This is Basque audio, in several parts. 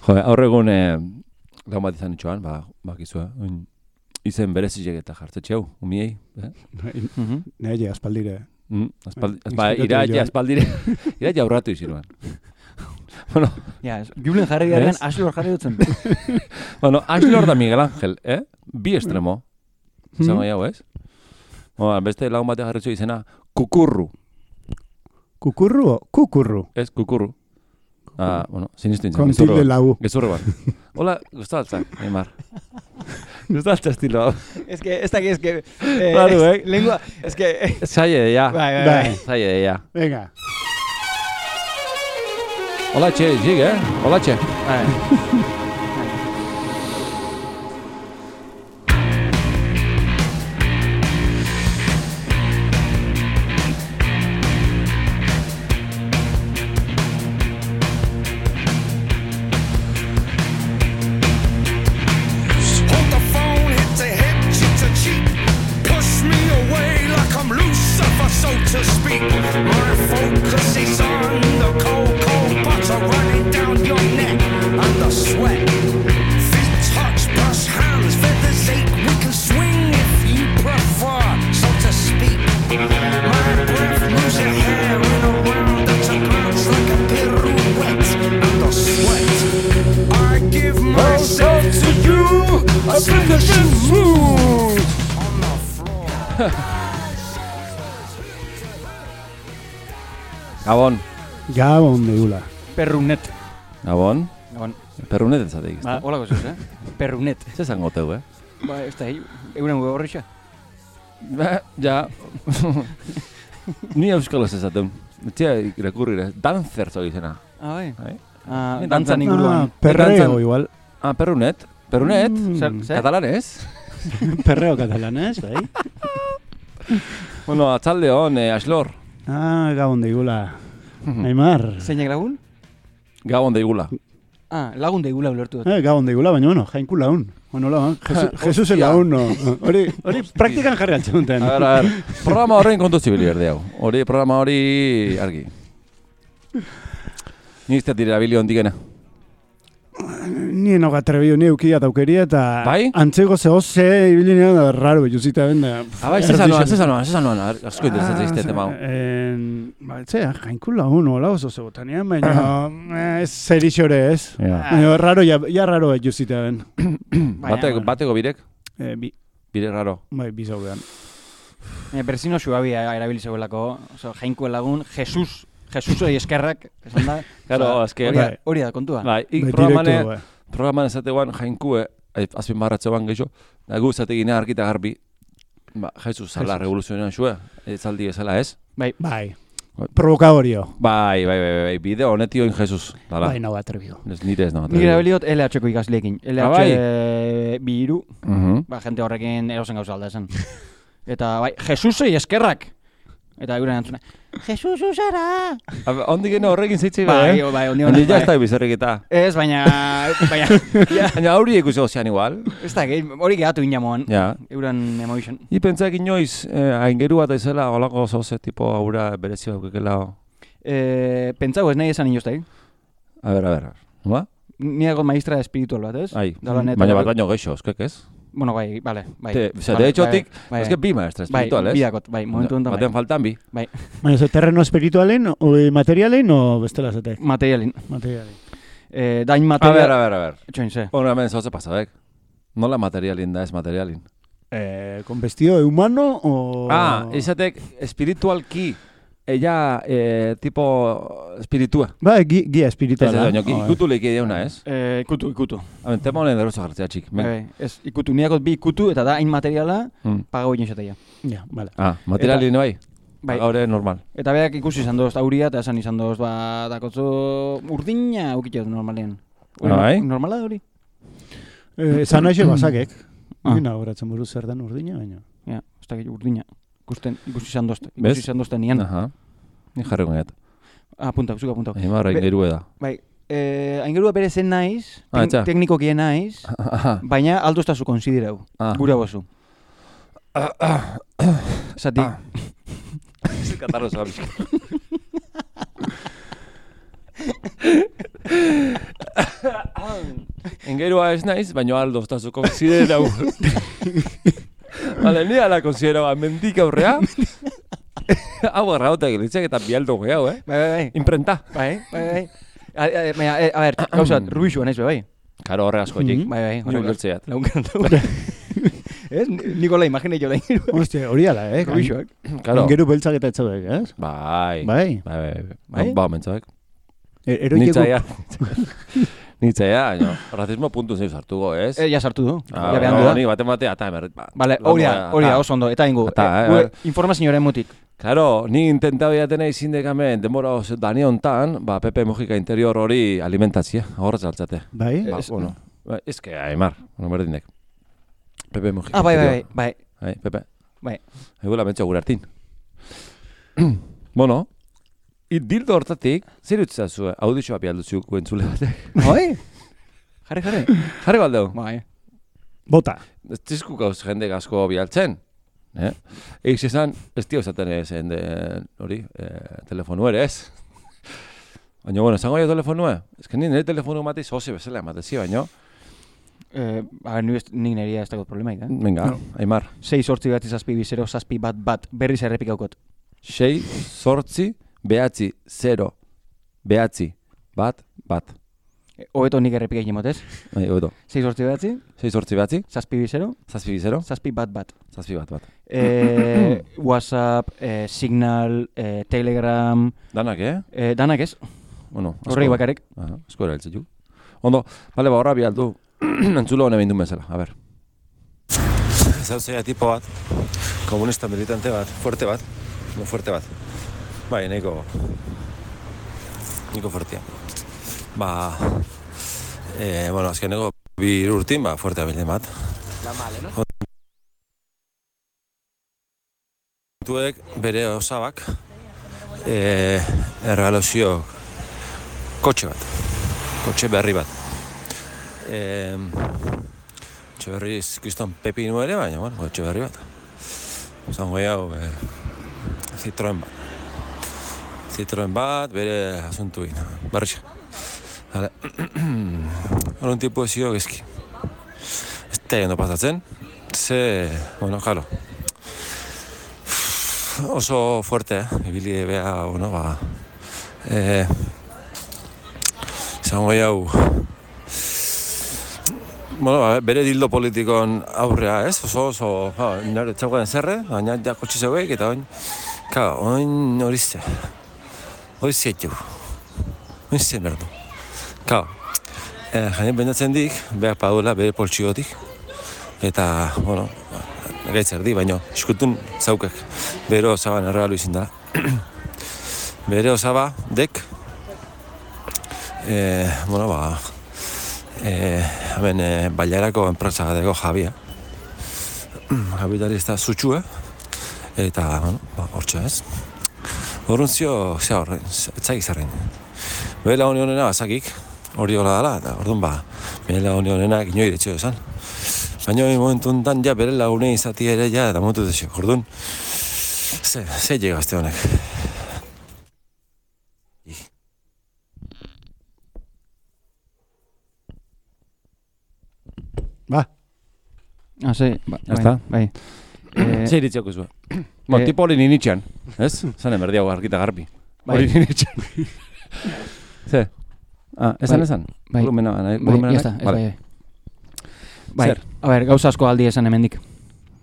Jo, aurregun lagun bat izan itxoan, bakizua, izen berezizek eta jartzetxe hau, umiei. Nire aspaldire. Iraia aurratu iziruan. Bueno, ja, Julen jarri garen, Aslor jarri dutzen. Bueno, Aslor da Miguel Ángel, bi estremo. Zango jau, ez? Beste lagun batean jarritzu izena, Kukurru. Kukurru o Kukurru? Ez, Kukurru. Bueno, sinistu intzen. Con tilde lau. Gezurro bat. Hola, gustaltzak, Neymar. Gustaltza estilo hau. Es que, Claro, lengua, es que... Zaie de ya. Bai. Zaie de ya. Venga. Hola, txe, zig, Hola, txe. To speak, my focus is on the cold butter running down your neck and the sweat. Feet touch, brush hands, feathers ache. We can swing if you prefer, so to speak. My breath moves your hair in a round that's a glance like a pirouette and the sweat. I give myself to you, a finishing move on the floor. Gabon deula. Perrunet. Gabon. Perrunet ez zateik, ez da? Hola gozuz, Perrunet. Zer zango teu, Ez da, euren gu horretxa. Ja. Ni euskal ez ezaten. Tia irakurri, dancer zoi izena. Bai. Dantzan inguruan. Perreo igual. Perrunet. Perrunet? Katalanez? Perreo katalanez, bai. Bueno, atzalde hon, Aslor. Gabon deigula. Neymar. Zeinek lagun? Gabon deigula. Lagun deigula ulertu dut. Gabon deigula, baina bueno, jainku lagun. Bueno, lagun. Jesus el lagun, no. Hori praktikan jarri altzen duten. A ver. Programa horrein kontu zibili berde hau. Programa hori argi. Ni izteat direla bilio ondikena. Ni enoga atrebiu, ni eukia taukeria eta... Bai? Antzego ze ibilinean da raro behuzita benda... Bai, zezanoan, asko interesatzen izte tema hau. Jainku lagun, hola oso zebotanean, baina ez zerixore ez. Baina raro, ja raro behuzita ben. Bateko birek? Bi. Birek raro? Bai, bi zaudean. Berzino suabia erabilizeuelako, jainku lagun, Jesusoi eskerrak, esan da. Claro, eske hori da kontua. Bai, programan esateguan jainkue, azpin barratzeoan gehiago, gu esategine argita garbi, Jesus zala revoluzionean xue, etzaldi ezala ez? Bai. Provokadorio. Bai, bideo honetioin Jesus. Bai, nago atrebido. Nire ez nago atrebido. Nire abiliot LH-ko ikasleekin. LH bi hiru, jente horrekin erosen gauza alda esan. Eta bai, Jesusoi eskerrak. Eta euren antzuna, Jesus usara! Ondik geno horrekin zeitzei bai, ondi ja ez da bizarrik eta. Ez, baina... Baina hori ikusi gozian igual. Ez da, hori gehatu inamoan, euren emotion. I pentsak inoiz, aingeru bat ezela, holako zoze, tipo, aura berezi baukekela. Pentsau ez nahi esan inoz da, A ver, ba? Niago maestra espiritual bat, ez? Baina bat baino geixo, eskek ez? Bueno, bai. De hecho, es que bi maestra espirituales. Bai, momentu honetan. Batean faltan bi. Bai. Baina, ze terreno espiritualen, o materialen, o bestela zetek? Materialen. Dain material... A ver. Etxoin, ze. Bueno, hemen zoze pasadek. Nola materialin da ez materialin? Con vestido de humano, o... izatek espiritualki ella, tipo, espiritua. Ba, guia espirituala. Ez, ikutu leiki deuna, ez? Ikutu. Tema honen derozo jartzea, txik. Ez, ikutu, niakot bi ikutu, eta da, hain materiala, pagau egin xatea. Ja, bale. Materialin bai? Gaur normal. Eta beak ikusi izan doz auria, eta esan izan doz, dakotzu urdina ukitxez normalean. Bai? Normala hori? Esan nahi basakek. Gina horatzen buruz zer den urdina, baina. Ja, ez da urdina. Ikusi izan dozte nian. Ni jarriko net. Apunta. Emarra ingeru eda. Bai, aingerua bere zen naiz, teknikokien naiz, baina aldo estazu konsiderau, gura bozu. Zati. Katarro zabizko. Engerua ez naiz, baina aldo estazu konsiderau. Vale, ni ala konsiderau mendik aurrea. Hau errauta egilitzek eta bialdo gehiago, Bai. Imprenta. Bai. A ver, gauzat, Rubixua naiz, bai. Karo, horregazko jik. Bai. Horrek gertzeat. Ez, Nikola, imagine jo lehin. Hostia, hori ala, Rubixuak. Karo. Engeru beltzak eta etzaudek, ez? Bai. Ba, mentzak. Nitzaia, no. Racismo puntu zeiz hartuko, ez? Ja sartu du. Ja behan du da. Ni batea, eta emerrit. Vale, hori oso ondo. Eta ingo, informazioaren mutik. Claro, ni intentau jatena izindekamen, denbora dani hontan, Pepe Mujica interior hori alimentatzia, horretz altzate. Bai? Bueno, ez que, Aimar, berdinek. Pepe Mujica. Bai. Pepe. Bai. Egula mentxo gure hartin. Bueno, dildo hortatik, zer utzazu, audizioa bialdutzu entzule batek. Bai? Jarri. Jarri baldeu. Bai. Bota. Ez tizku gauz jende asko bialtzen. Eiz esan, ez tio esaten ezen hori, telefonu ere ez. Baina, bueno, esango jo telefonu ez que nire telefonu mati zoze bezala ematezi, baina. Nik neria ez dago problemaik, Venga, Aimar. 6 bat izazpi bizero, zazpi bat, berriz errepikaukot. 6 sortzi, behatzi, 0, behatzi, bat. Hobeto nik errepikaik jemotez. Bai, hobeto. 6 sortzi behatzi. 6 sortzi behatzi. Zazpi bizero. Zazpi bat. WhatsApp, Signal, Telegram. Danak, Danak ez. Bueno, horrek bakarek. Asko erailtze ju. Ondo, bale, horra bialdu. Entzulo hone bindun bezala, a ber. Zauzea tipo bat, komunista militante bat, fuerte bat. Bai, nahiko fuertea. Bueno, azkeneko bi urtin, fuerte abilden bat. La male, no? Tuek bere osabak erregalozio kotxe berri bat. Kotxe berri izkizton pepinu ere, baina, bueno, kotxe berri bat. Zango hau Citroen bat, bere asuntuin, barrixa. Hale, horren tipu ezio gezki. Ez da egin pasatzen, bueno, jalo. Oso fuerte, ibili beha, bueno, izango hau, bueno, bere dildo politikon aurrea, ez? Oso, nire txaukaden zerre, baina ja kotxe zeuek, eta oin horizte. Horizte merdu. Jainen bendatzen dik, behar padula, bere poltsiotik, eta, bueno, gaitzer di, baina iskutun zaukek bere osaban erregalu izin da. Bere osaba, dek, bueno, hemen bailarako enpresa gadeko Javia. Kapitalista zutxue, eta, bueno, hortxe ez. Horruntzio, horren, etzak izarren. Bela honi honena bazakik, hori hola dala, eta orduan bela honi honenak inoi detxeo esan. Baina momentu enten ja bere lagunei izati ere ja, eta momentu detxeo. Orduan, ze llegazte honek. Bai. Zer iritzioko zuen? Tipo hori ninitxean, ez? Zan emerdiago argita garbi. Hori ninitxean. Zer? Esan? Volumena, bai. Bai, a ber, gauza asko aldi esan hemendik.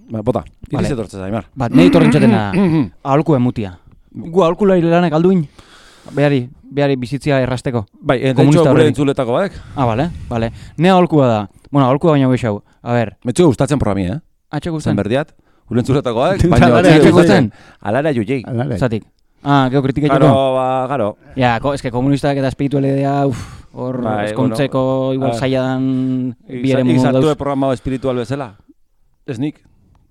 Bota, iriz etortzez, Aimar. Nahi torrentxatena aholku emutia. Gu aholkulari lanak alduin, behari bizitzia errasteko. Bai, eta gure entzuletako badek. Bale. Ne aholkua da. Bueno, aholkua baina geixau. A ber. Metxo gustatzen programi, Atxe gustan. Berdiat, gure entzuletako badek, baina atxe gustan. Alara juei. Zatik. Gero kritika joko. Garo. Ja, eske komunistak eta espiritualidea, hor eskontzeko igual zailan biere mundu dauz. Izartu programa espiritual bezala. Ez nik.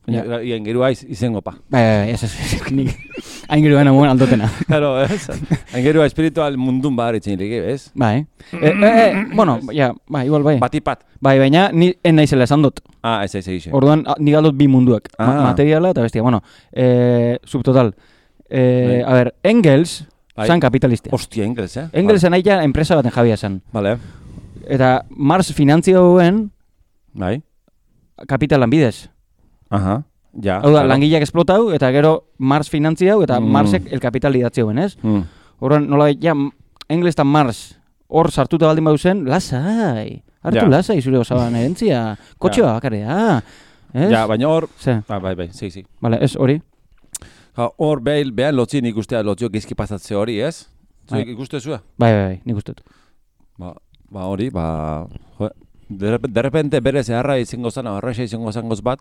Ian geru aiz izengo pa. Ez, nik. Hain geru baina muen aldotena. Claro, ez. Hain geru espiritual mundun badaritzen irik, ez? Bai. Bueno, igual bai. Batipat. Bai, baina ni naizela esan dut. Ez. Orduan, nik aldot bi munduak. Materiala eta bestia. Bueno, subtotal. A ver, Engels zan kapitalistia. Hostia, Engels, Engels nahi ja enpresa baten jabia zan. Vale. Eta Mars finantzioen Bai. kapitalan bidez. Aha. Ja. Hau da, langileak esplotau, eta gero Mars finantziau, eta Marsek el kapital idatzeuen, ez? Horren, nola, ja, Englesetan Mars, hor sartuta baldin bauzen, lasai, hartu lasai zure osaban erentzia, kotxeoa bakarea, ez? Ja, baina hor, bai, sí. Vale, ez hori. Hor behan lotzi nik ustea lotzio gizki pasatze hori, ez? Zuek ikuste zua? Bai, nik uste dut. Ba hori, de repente bere zeharra izango zan, arraxa izango zangoz bat,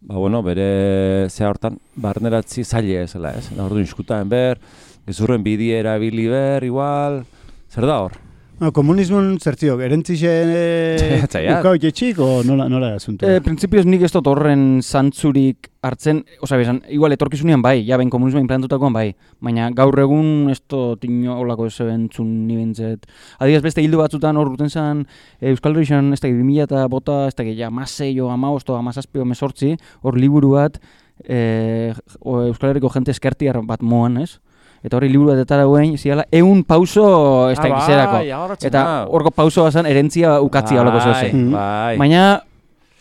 bueno, bere zea hortan, barneratzi zaila ezela, ez? Da orduan iskutaen ber, gezurren bidi erabili ber, igual, zer da hor? Komunismoan zertziok, erentzixen ukau jetxik, o nola asuntu? Printzipioz nik ez dut horren zantzurik hartzen, bezan, igual etorkizunean bai, ja ben komunismoa implantutakoan bai, baina gaur egun ez dut inolako ez ebentzun nibentzet. Adibidez beste hildu batzutan hor urten zen Euskal Herrian ez da 2000 eta bota, ez da ja masei o amaosto, amazazpio mesortzi, hor liburu bat Euskal Herriko jente eskertiar bat moan, ez? Eta hori liburu bat etara guen, ziala, 100 pauso ez da gizerako. Eta horko pauso bazan erentzia ukatzia holako zoze. Baina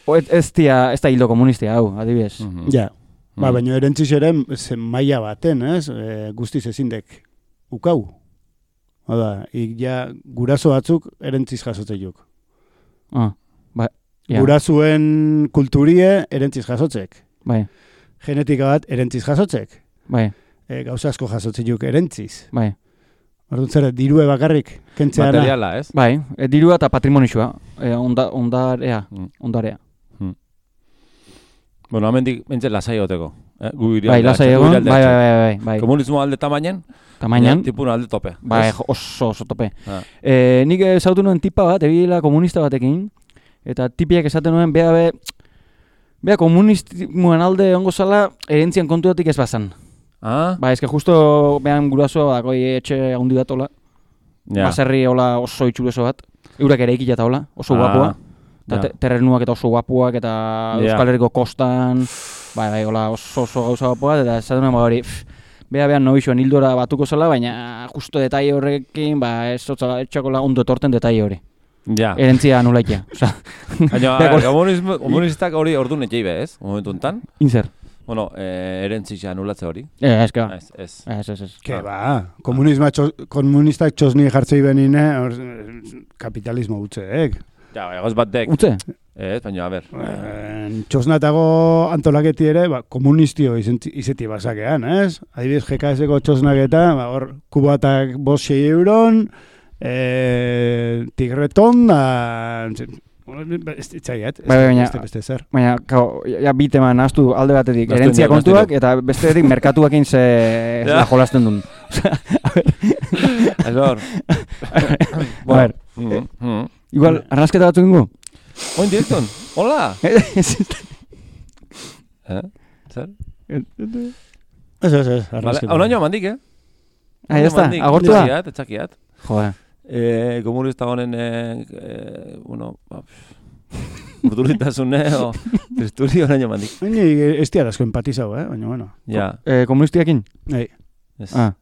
ez da hildo komunistia, hau, adibidez. Ja, baina erentzis ere zen maila baten, ez? Guztiz ezindek ukau. Hada, ja, guraso batzuk erentziz jasotzeiuk. Gurasuen kulturie erentziz jasotzek. Bai. Genetika bat erentziz jasotzek. Bai. Gauza asko jasotzeuk erentziz. Bai. Orduan zer, dirue bakarrik kentzea da. Materiala, ez? Bai, dirua eta patrimonixua, ondarea. Bueno, amendik bentzen lasai goteko. Bai, lasai egon, bai. Komunismo alde tamainan, tipun alde tope. Bai, oso tope. Nik zautu nuen tipa bat, ebila komunista batekin, eta tipiak esaten nuen, bea komunismoen alde ongo zala, erentzian kontuatik ez bazan. Ba, ezke justo behan gurasoa dakoi etxe handi bat hola. Baserri hola oso itxureso bat. Eurak ere ikila eta hola, oso guapua. Terrenuak eta oso guapuak eta Euskal Herriko kostan. Bai, hola oso gauza guapua. Eta ez duen hori, behan nobixoan hildora batuko zela, baina justo detai horrekin, ez etxakola ondo etorten detai hori. Erentzia anulaikia. Komunistak hori ordu netxei be, ez? Momentu enten? Inzer. Bueno, erentzitza anulatze hori? Ez, que ba. Ez. Que ba, komunistak txosni jartzei benine, kapitalismo utzeek. Ja, egoz bat dek. Utze? Ez, baina, a ber. Txosnatago antolaketi ere, komunistio izeti basakean, ez? Adibidez, GKS-eko txosnaketa, hor, kubatak 5-6 euron, tigreton, ez itzaiat, beste zer. Baina, biteman nahaztu alde batetik erentzia kontuak, eta bestetik merkatuakin ze jolasten duen. Ez hor. A ver, igual, arnazketa batzuk ingo? Oin direkton, hola! Zer? Ez, arnazketa. Hau naino mandik, Ya está, agortua? Etxakiat. Joder. Komunista honen, urduritasune, o tristuri horaino mandik. Ez tiarazko empatizau, baina, bueno. Ja. Komunistiakin? Nei. Ja.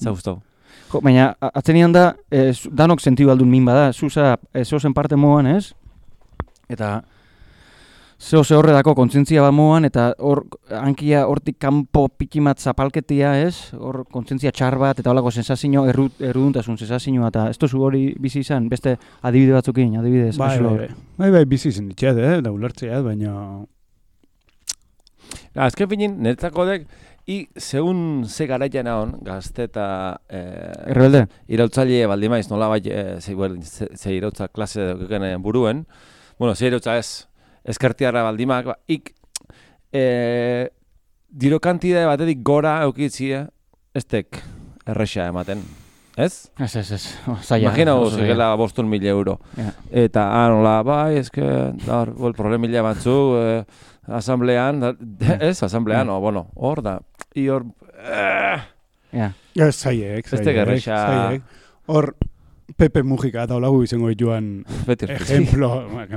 Ez gustau. Baina, atzenian da, danok sentidu aldun min bada, zuza, zozen parte moan, ez? Eta, zehose horredako kontzientzia bat moan, eta hor, hankia hortik kanpo pikimat zapalketia, ez? Hor, kontzientzia txar bat, eta holako sensazio, erruduntasun sensazioa, eta ez tozu hori bizi izan, beste adibide batzukin, adibidez. Bai, bizi izan ditxeat, da ulertzeat, baina... Azken finin, netzako dek, zeun ze garaian hon, gazte eta... Errebelde? Irautzaile baldi maiz, nola bai, ze irautza klase duken buruen. Bueno, ze irautza ez, eskertiarra baldimak, diro kantidade batetik gora eukitzia, ez tek erresa ematen. Ez? Ez. Imagina guzigela 500.000 euro. Eta, nola, bai, ezke, problemilla batzuk, asamblean, ez, asamblean, bueno, hor da. Hor, zaiek. Ez tek erresa. Hor, Pepe Mujika eta olagu izango dituan Beti ejemplo,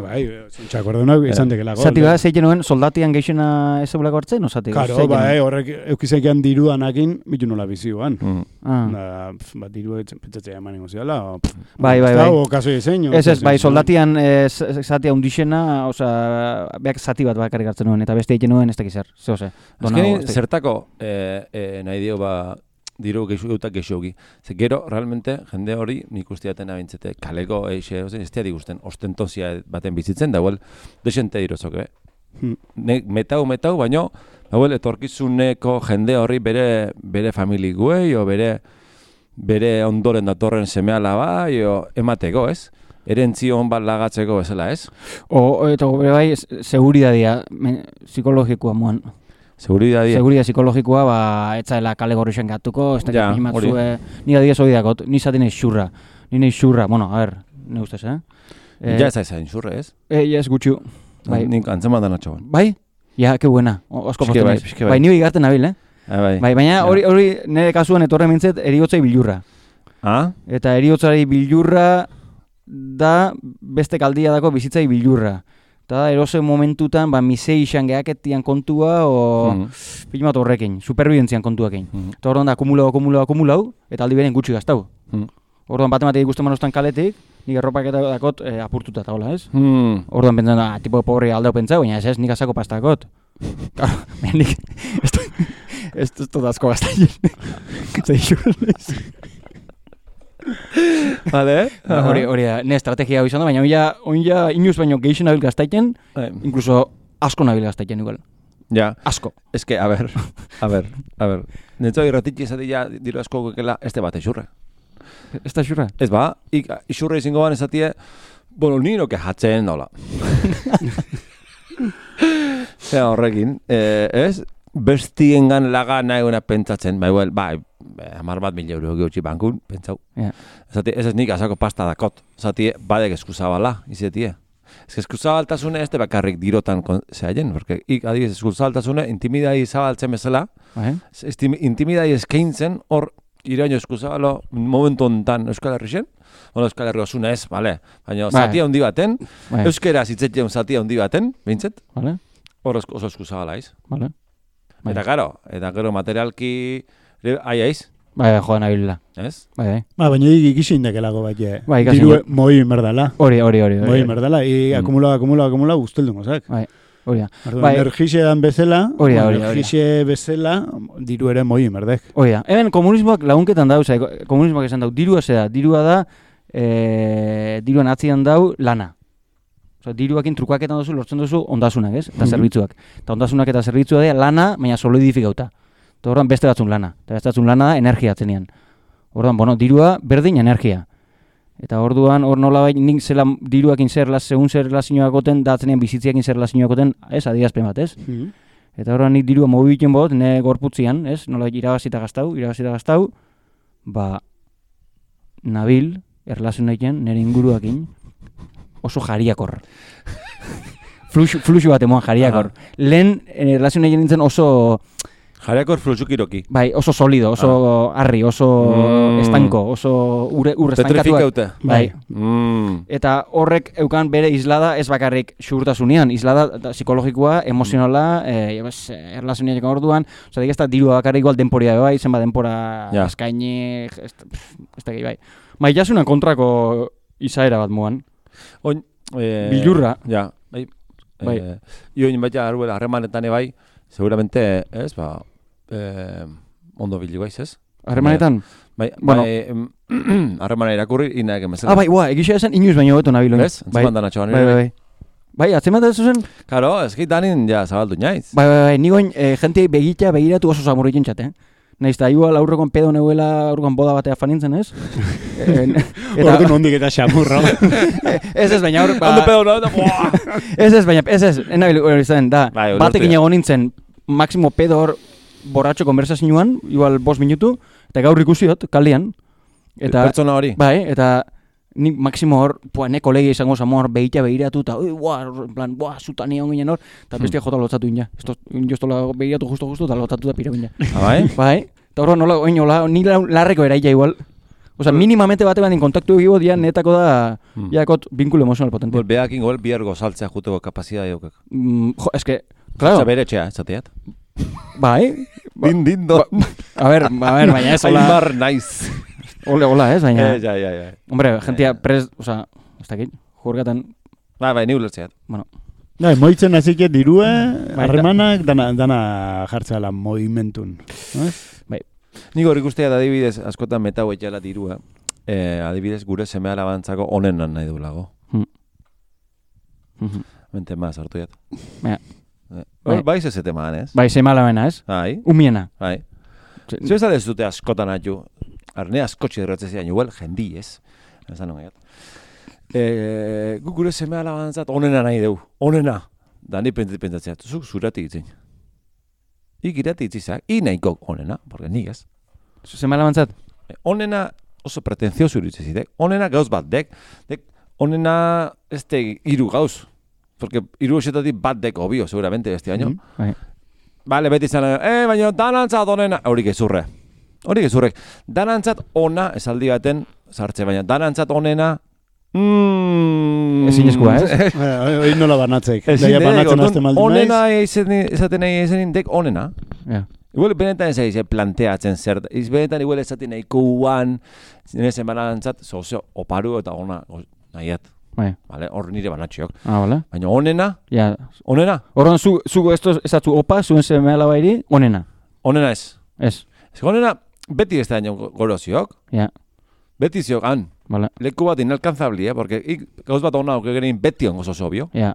bai, zontxak ordunak izan dekelako. Zati bat, zeiten nuen, soldatian geixena ez ebolako hartzen, o zati? Karo, bai, horrek eukizekian diruanakin, bitu nola bizioan. Ah. Diru pentsatzea eman ingo ziala. Bai. O kaso diseño. Ez, bai, soldatian zatia undixena, oza, beak zati bat bakarrik hartzen nuen, eta beste egiten nuen ez dakiz zer, zehose. Azkenin, zertako nahi dio diru geixugi. Ze gero, realmente, jende hori nik usteaten abintzete kaleko eixe, ez teari gusten, ostentozia baten bizitzen, da huel, desente dirozok, metau, baino, da etorkizuneko jende horri bere familiguei, o bere ondoren datorren semeala bai, o emateko, ez? Erentzion bat lagatzeko bezala, ez? Eta bai, seguridadia, psikologikoa moan. Seguridad psikologikoa, etzaela kale gorrixen gatuko, ez da Ja, animatzue, ni adiez hori dakot, ni zaten eiz xurra, bueno, a ver, ne ustez, Ja ez aizain xurre, ez? Ez gutxu, bai. Nik antzeman da natxoan. Bai? Ja, que buena, osko Pixke postu bai, naiz. pixke bai. Bai, ni bigarten nabil, Bai, baina hori nire kasuan etorre mintzet eriotzai bilurra. Ah? Eta eriotzari bilurra da beste kaldia dako bizitzai bilurra. Eta erose momentutan, misei izan geaketian kontua, pilat horrekin, superbidentzian kontuakin. Eta orduan da, akumulau, eta aldi beren gutxi gaztau. Orduan batematik ikusten manustan kaletik, nik erropak eta dakot apurtuta eta hola, ez? Orduan pentsan da, tipo pobre aldeo pentsau, baina ez, nik azako pastakot. Claro, nik, ez dut asko gaztaien. Zaixurrez. Vale, Hori da, ne estrategia hau izan da, baina oin inuz baino geixen nabil gaztaiten, incluso asko nabil gaztaiten igual. Ja. Asko. Ez que, a ver. Netzo irratitxe esatia diru asko gukela este bat eixurre. Ez da xurra? Ez ba, ixurre izango ban esatie, bueno, nino kejatzen nola. Horrekin, ez? Bestiengan laga nahi guna pentsatzen, bai, 10.000 euro geutxi bankun, pentsau. Zati, ez nik azako pasta dakot. Zati, badek eskuzabala, izetie. Ez eskuzabaltasune ez de bakarrik dirotan zehaien, porque adibidez eskuzabaltasune intimidai zabaltzen bezala, intimidai eskaintzen hor iraino eskuzabalo momentu ontan Euskal Herrixen, Euskal Herri osuna ez, baina zatia handi baten, euskera zitzetien zatia handi baten, behintzet, hor oso eskuzabala iz. Eta gero materialki aiaiz. Bai, joan abilela. Ez? Bai. Baina ikisi indekelago bat, Bai, diru moi merdala. Hori. Moi merdala, akumula guzteldu mozak. Bai, hori da. Energixe dan bezala, energixe bezala, diru ere moi merdek. Hori da. Hemen komunismoak lagunketan dau, komunismoak esan dau, dirua da, diruan atzian dau lana. Diruakin trukaketan duzu, lortzen duzu ondasunak, ez? Eta zerbitzuak. Eta ondasunak eta zerbitzua da lana, baina solidifikauta. Eta horren beste batzun lana. Eta beste batzun lana da energia atzenean. Orduan, dirua berdin energia. Eta orduan, hor nola bai, nik zela diruakin segun zer relazioak goten, da atzenean bizitziakin zer relazioak goten, ez, adierazpen bat, ez? Eta horrean nik dirua mobibitzen bot, ne gorputzian, ez? Nola irabazita gaztau, nabil, erlazionekin, nire inguruakin, oso jariakor. Fluxu bat emoan jariakor. Lehen erlazionekin nintzen oso... Jariakor fluxukiroki. Bai, oso solido, oso harri, oso estanko, oso ur estankatuak. Bai. Eta horrek eukan bere islada ez bakarrik xurtasunean, islada psikologikoa, emozionala, erlazionekin orduan, ez da dirua bakarrik igual denporia bai, zenba denpora eskaini, ez da gehi bai. Maitasunan kontrako izaera bat moan. Bilurra. Ja, bai. Ioin baita arruela harremanetan bai, seguramente, ez, ondo bilu baiz, ez? Harremanetan? Bai, harremana irakurri, inaek emezela. Bai, egisa esan inoiz baino beto nabil. Ez? Antzeman da natxoan. Bai, atzeman da zuzen? Karo, ez danin ja zabaldu naiz. Bai, nigoin jentei begiratu oso zamurrikin txate, Naiz eta igual aurrekon pedo neuela aurrekon boda batea fanintzen, ez? Ordu nondik eta xamurro. Ez, baina aurrek... Ondo pedo nahi, Ez, enabil hori zen, da. Batekin egon nintzen, máximo pedo hor borratxo konversazioan, igual 5 minutu, eta gaur ikusiot, kaldean. Pertsona hori? Bai, eta nik máximo hor, ne kolegia izango zamo hor behiratu, eta zutan egon ginen hor, eta bestia jota lotzatu ina. Joztola behiratu justo, eta lotzatu da pira ginen. Bai? Bai, eta horro nola, ni larreko eraila igual. Osa, minimamente bate bandin kontaktu egibo dian netako da, jakot, binkulo emozional potente. Behakin gol, bihar gozaltzea juteko kapazidad daukak. Jo, eske, claro. Bere etxea, esateat. Bai. Din, don. A ver, baina ez, hola. Aimar naiz. Hola, ez, baina. Ja. Hombre, gentia osa, ez dakit, jurgatan. Bai, ni ulertzeat. Bueno. Bai, moitzen hasike dirue, harremanak dana jartzala movimentun. Bai. Nik hor ikustea da adibidez, askotan metau etxala dirua. Adibidez, gure seme alabantzako onenan nahi duelago. Mente maz, hartu jat. Bai ze temaan, ez? Bai, seme alabena, ez? Bai. Umiena. Bai. Zer ez ez dute askotan atxu. Arne askotxe derratzezian, igual, jendi, ez? Ez da nogaiat. Guk gure seme alabantzat onena nahi dugu. Onena. Da ni pentsatzea, zuk zurati itzin. Ik irati itzizak, nahiko onena, porque nik ez. Seme alabantzat? Onena oso pretentzioso iruditzezidek. Onena gauz bat dek. Onena ez hiru gauz. Porque hiru esetatik bat dek obio, seguramente, beste baino. Bale, beti zan, baina danantzat onena. Horik ezurre. Danantzat ona esaldi baten sartze, baina danantzat onena ezin eskua, ez? Hoi nola banatzeik. Daia banatzen azte maldi naiz. Onena esaten nahi ezenin dek onena. Igual benetan ez planteatzen zer. Benetan igual esaten nahi kuan, nezen banantzat, sozio oparu eta ona nahiat. Vale, hor nire banatxiok. Vale. Baina onena? Ja. Onena? Horren zu esatzu opa, zuen seme alabairi, onena. Onena ez. Ez. Ez onena beti ez da goroziok. Ja. Beti ziok han. Vale. Leku bat inalcanzabli, porque gauz bat ona aukegerin beti ongo obvio. Ja.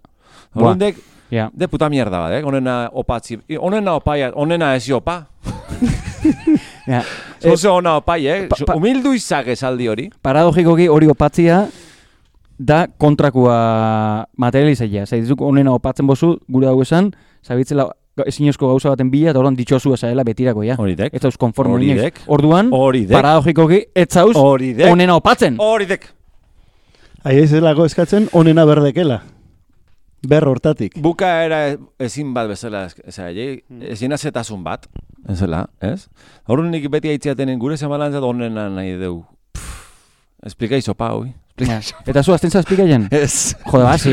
Horrendek, de puta mierda bat, onena opatzi. Onena opaia, onena ez opa. Ja. Oso ona opai, humildu izak esaldi hori. Paradogikoki hori opatzia da kontrakua materializaia. Zaitizuk onena opatzen bozu, gure hau esan, zabitzela ezinezko gauza baten bila, eta horren ditxosu esaela betirako, ja. Horidek. Ez dauz konforme ninek. Orduan, paradogikoki, ez zauz onena opatzen. Horidek. Ahi ez delako eskatzen onena berdekela. Ber hortatik. Bukaera ezin bat bezala, ezin azetasun bat, ezela, ez? Horren nik beti haitziatenen gure zemalantzat onena nahi dugu. Esplika izopa, hoi. Eta zu, azten esplikaien? Ez. Jode, ba, si?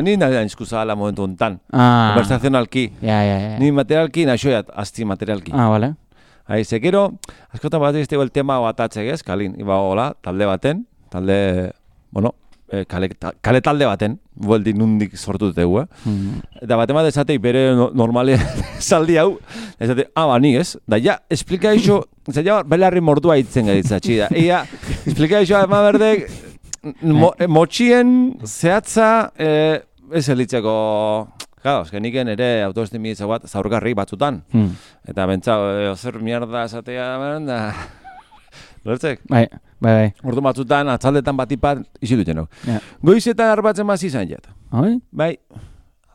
Ni nahi izkuzala momentu ontan. Conversazionalki. Ja. Ni materialki, naixoiat, azti materialki. Vale. Zekero, askotan bat iztego el tema batatzek, ez? Kalin, iba hola, talde baten, kale talde baten, bueldi nundik sortu dutegu, Eta batemat esateik bere normale saldi hau, esate, ni ez? Da ja, esplika iso, zaila belarri mordua hitzen gaitzatxi da. Ia, esplika iso, ama berdek, motxien zehatza, ez elitzeko, claro, geniken ere autoestimiditza bat zaurgarri batzutan. Eta bentsa, zer mierda esatea, da... Lertzek? Bai. Ordu batzutan, atzaldetan batipat isilu jenok. Goizetan arbatzen bat izan jet. Bai,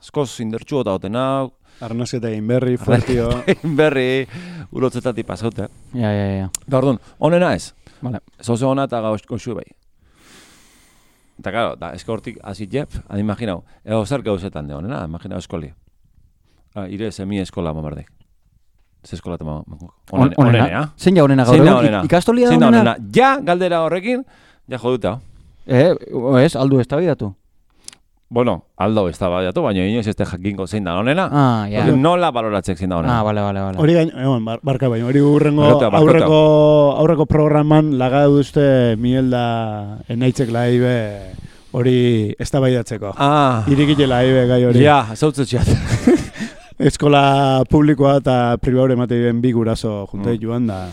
askoz indertxu eta oten hau. Arnazketa egin berri, fuertio. Egin berri, urotzetatik pasaute. Ja. Da orduan, onena ez. Vale. Zoze ona eta goxu bai. Eta claro, eska hortik azit jep, imaginau, zer gauzetan de onena, imaginau eskolia. Ire semi eskola mamardek. Ze eskola tema onena. Zein ja onena gaur? Ikastolia da onena? Ja, galdera horrekin, ja joduta. Ez, aldu ez da bidatu. Bueno, aldo ez da bidatu, baina inoiz ez jakinko zein da onena. Ja. Nola baloratzek zein da onena. Vale. Hori gain, barka baina, hori aurreko programan laga duzte Mielda enaitzek laibe hori ez da baidatzeko. Irikile laibe gai hori. Ja, zautzetxeat. Eskola publikoa eta pribaure emate diren bi guraso junte joan da.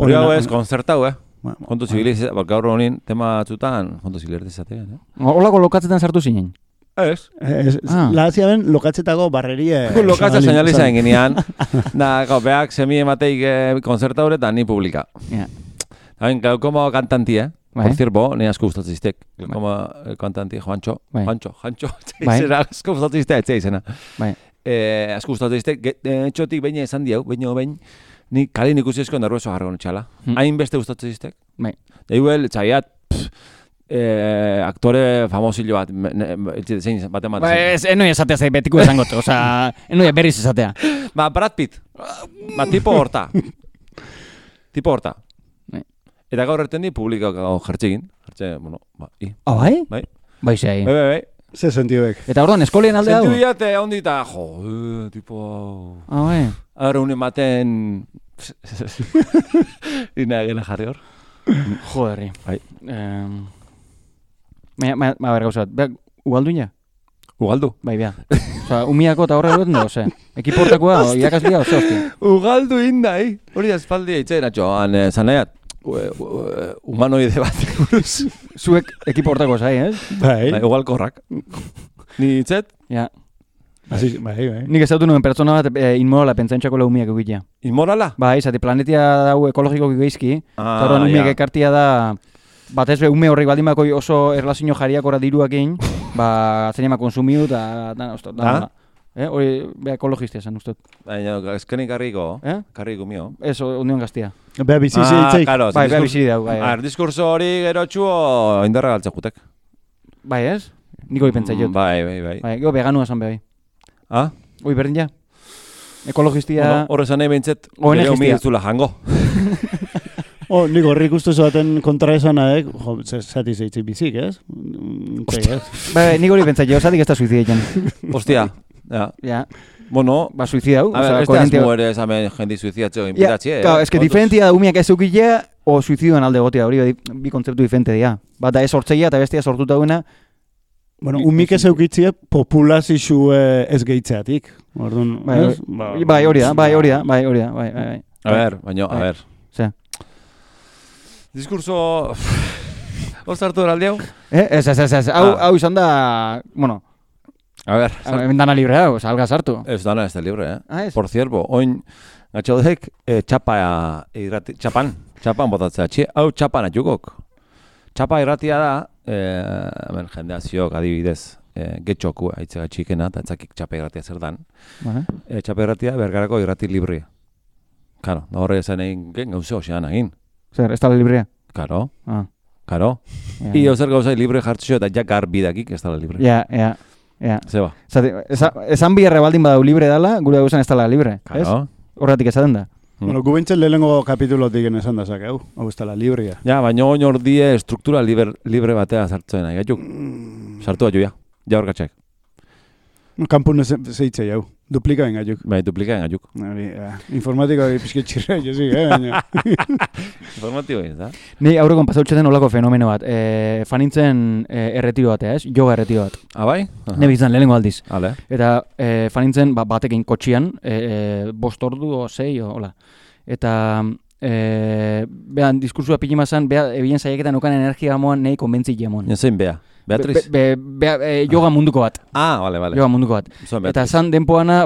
Hori hau ez, konzertau, Kontu zibiliz, gaur honin tema atzutan, kontu zibiliz izatean, Holako lokatzetan sartu zinen? Ez. Lahazia ben, lokatzetako barrerie... Lokatza señaliza enginean, da, beak semi emateik konzertaure eta ni publika. Hain, como kantanti, Por cierto, ni asko gustatzen ziztek. Como kantanti, Juancho. Zera, asko gustatzen ziztek, etzea izena. Asko gustatzen ziztek, etxotik behin esan diau, behin, ni kalin ikusi esko nervioso jarro nitxala. Hain beste gustatzen ziztek. Eiguel, txaiat, aktore famosillo bat, zein bat ematen. Enoi esatea zei betiko esangot, enoi berriz esatea. Brad Pitt. Tipo horta. Eta gaur erten di publikako jertzegin. Bueno, bai? Bai. Bai, zei. Bai. Ze sentioek. Eta orduan, eskolien alde hau? Sentiu diate, ondita, tipo... bai. Ahora unen baten... Ina egena jarri hor. Joderri. Bai. Ber, gauzat, ugalduina? Ugaldu. Bai, bea. Osa, umiako eta horre duetan da, ose. Ekiportakoa, irakaslia, ose, hostia. Ugaldu indai. Hori azpaldi eitzen, atxoan, zanaiat. Humanoide bat. Zuek ekiportako zai, ez? Bai. Ugalkorrak. Ni itzet? Ja. Bai. Nik ez dautu nuen pertsona bat inmorala pentsantxako umiak egitea. Inmorala? Bai, zati planetia dau ekologiko geizki. Eta horren umiak ekartia da... Batez be, ume horrek baldin bako oso erlazio jariakora diruakin, zenema konsumiu eta... Hori, ekologistia zen, ustot. Baina, ezkenik karriko, karriko mio. Ez, union gaztia. Beha bizizi itzeik. Bai, beha bizizi dau. Diskurso hori gerotxuo indarra galtza jutek. Bai, ez? Niko hori pentsai jot. Bai. Gero veganua esan behai. Hoi, berdin ja? Ekologistia... Horre zan nahi behintzet, gero humi ez dula jango. Nik horrik uste zoaten kontra esanaek, zati zeitzik bizik, ez? Bai, nik hori pentsai jot, zatik ez da suizideitzen. Ostia, ja. Bueno, suizidau. A ver, beste azmu ere esamen jendi suizidatzeo inpitatxe. Claro, es que diferentia da umiak ez eukilea o suizidoan alde gotea, hori bi kontzeptu diferente dira. Bata ez sortzeia eta bestia sortuta duena. Bueno, umik ez eukitzea populazio ez gehitzeatik. Bai, hori da. A ver, baina, a ver. Ze. Diskurso... Hor zartu eraldi hau? Ez. Hau izan da... Bueno... A ver... Dana libre hau, salga sartu. Ez dana ez da libre, Ez. Por cierto, oin... Gatxaudek txapan botatzea. Hau txapan atxukok. Txapa irratia da... jendeaziok adibidez... Getxoku aitzega txikena, eta etzakik txapa irratia zer dan. Txapa irratia bergarako irrati librea. Karo, da horre esan egin gauze hoxean egin. Zer, ez tala librea? Karo. Io zer gauza libre jartzio eta jak garbidakik ez tala libre. Ja. Zeba. Esan biherre baldin badau libre dala, gure gauzan ez tala libre. Karo. Horretik esaten da. Bueno, gubentzen lehenengo kapitulotik esan da hau ez tala librea. Ja, baina oin ordie struktura libre batea sartzen nahi, gaituk. Sartu atu, ja hor gatxak. Kampun zeitzei hau, duplika benga juk. Bai, duplika benga juk. Informatiko pizketxirra, jozik, Informatiko egin, da? Ni aurrekon pasautxeten olako fenomeno bat. Fanintzen erretiro batea, ez? Yoga erretiro bat. Bai? Ne bizan, lehenengo aldiz. Ale. Eta fanintzen batekin kotxian, 5 ordu o 6, hola. Eta... behan, diskursua pilimazan, ebien zaiaketan okan energia moan nahi konbentzik jamon. Zein bea? Beatriz? Yoga munduko bat. Vale. Yoga munduko bat. Eta zan denpoana,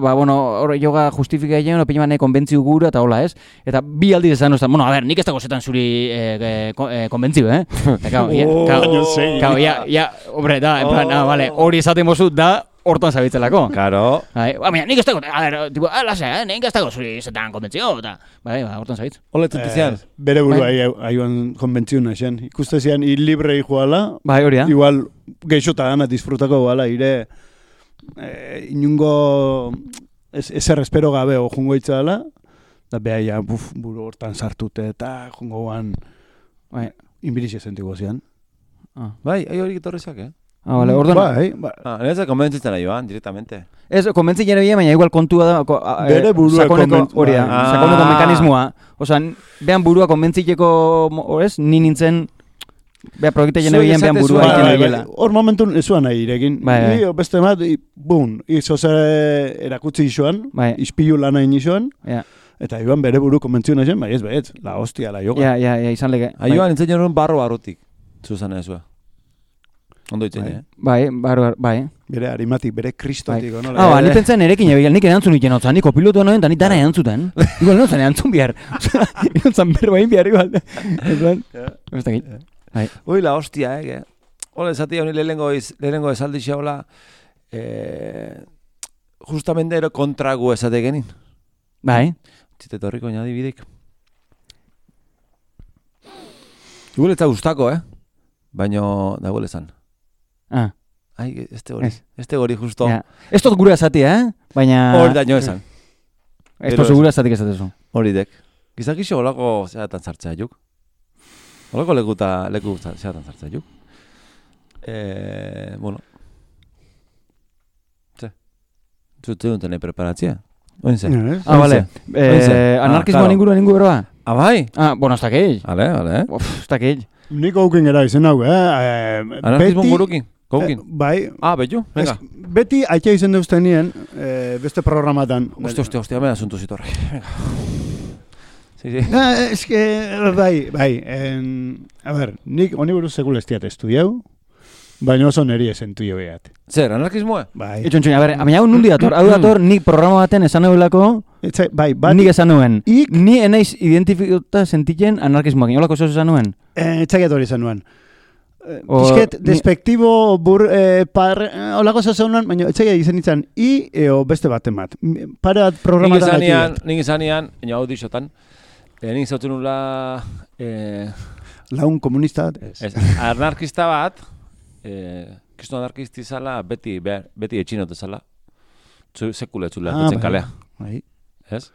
yoga justifika egin, opiniman nahi konbentziu gura eta hola, ez? Eta bi aldiz esan, bueno, a ver, nik ez dago zetan zuri konbentziu, eh? Hombre, da, en plan, vale, hori esaten bozut da, hortan zabitzelako. Karo. Baina, nik ez dago, nik ez dago zuri zetan konbentzio, eta, hortan zabitz. Oletzen tizian. Bere burua aioan konbentzio naxen. Ikuste zian, libre joala. Bai, hori da. Igual, geixota gana disfrutako bala, ire, inungo, ezer espero gabe, jungo itzala, da beha, buru hortan sartute, eta jungo guan, inbirixe sentiko zian. Bai, hori gitorrezak, Vale, orduan... Bai. Ez da konbentzitzen ari joan, directamente. Ez, konbentzik jere baina igual kontua da... Bere burua konbentzik. Hori da, sakoneko mekanismoa. Osa, behan burua konbentzikeko, ez, ni nintzen... Beha proiekte jene behan burua egiten egela. Hor momentun ezuan nahi irekin. Bai. Beste bat, izo erakutsi isoan, ispilu lan hain isoan, eta iban bere buru konbentzio nahi zen, bai ez, la hostia, la yoga. Ja, izan lege. Aioan nintzen joan barrutik, zuzan ezua. Ondo itzen, Bai. Bere arimatik, bere kristotik, nola? Ni pentsan erekin ebil, nik erantzun iten otzan, nik kopilotua noen, eta nik dara erantzuten. Igual nozen erantzun bihar. Erantzun berbain bihar, igual. Ez da git. Ui, la hostia, Ole, zati honi lehenengo esaldi xaola, justamente ero kontragu esate genin. Bai. Txite torriko inadibidik. Igual ez da gustako, baina da igual esan. Ai, este gori justo. Ez dut gura esati, baina... Hori daño esan. Ez dut gura esatik esatezu. Hori dek. Gizakixo golako zeratan zartzea juk. Horreko leku zeatan zartzen, juk. Bueno. Zute duten preparatzia. Oinze. Vale. Anarkismoan inguruan beroa? Bai? Bueno, ez dakit. Vale. Ez dakit. Nik aukin gara izen hau, Anarkismo gurukin? Gaukin? Bai. Betu? Venga. Beti aitea izen deuzten nien, beste programatan. Hostia, mena asunto zitorri. Venga. Sí. Es que, bai. A ver, nik honi buruz sekul estiat estudiau, baina oso neri esentu jo behat. Zer, anarkismoa? Bai. Etxontxoin, a ber, amina hau nundi dator, nik programa baten esan eulako, Bai, nik esan nuen. Ni enaiz identifikatuta sentitzen anarkismoak, inolako zoz esan nuen? Etxakiat hori esan nuen. Pisket, despektibo, olako zoz esan nuen, baina etxakiat izan nintzen, beste baten bat. Pare bat programatan nik izanian, ina hau dixotan, nik izautzen nula... Laun komunista bat? Ez. Anarkista bat, kristo anarkisti zala, beti etxinote zala, sekuletzula dutzen kalea. Bai. Ez?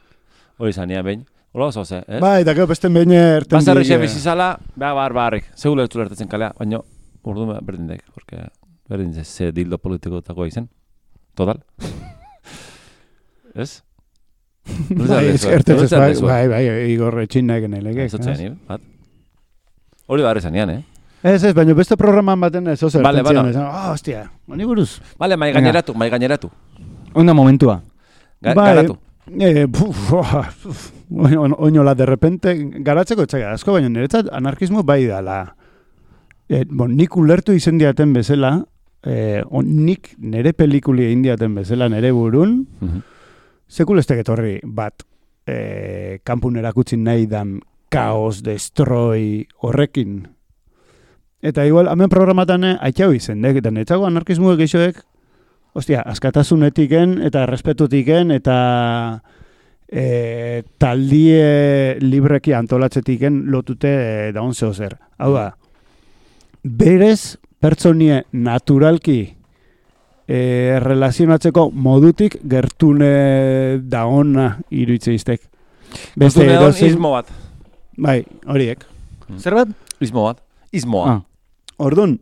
Hori zania behin. Hola oso ze, ez? Bai, eta gero beste behin erten Bazarri xe bizizala, barrik. Sekuletzula ertetzen kalea, baina urdu berdin daik, porque berdin ze dildo politikotako izen. Total. Ez? Bai, Igor Etxinnaik enelege. Hori barri zanian, Ez, baina beste programan baten ez oso erten zian. Hostia, honi buruz. Vale, mai gaineratu. Onda momentua. Garatu. Oinola, de repente, garatzeko etxaga asko, baina niretzat anarkismo bai dala. Nik ulertu izen diaten bezala, nik nire pelikuli egin diaten bezala nire burun, sekulestek etorri bat kanpun erakutsi nahi dan kaos, destroi horrekin. Eta igual, hemen programatan aitxau izendek, eta netzago anarkismuek eixoek, askatasunetiken eta respetutiken eta taldie libreki antolatzetiken lotute daun zehozer. Hau da, berez pertsonie naturalki relazionatzeko modutik gertune daona iruitze iztek. Beste izmo bat. Bai, horiek. Zer bat? Izmoa. Orduan,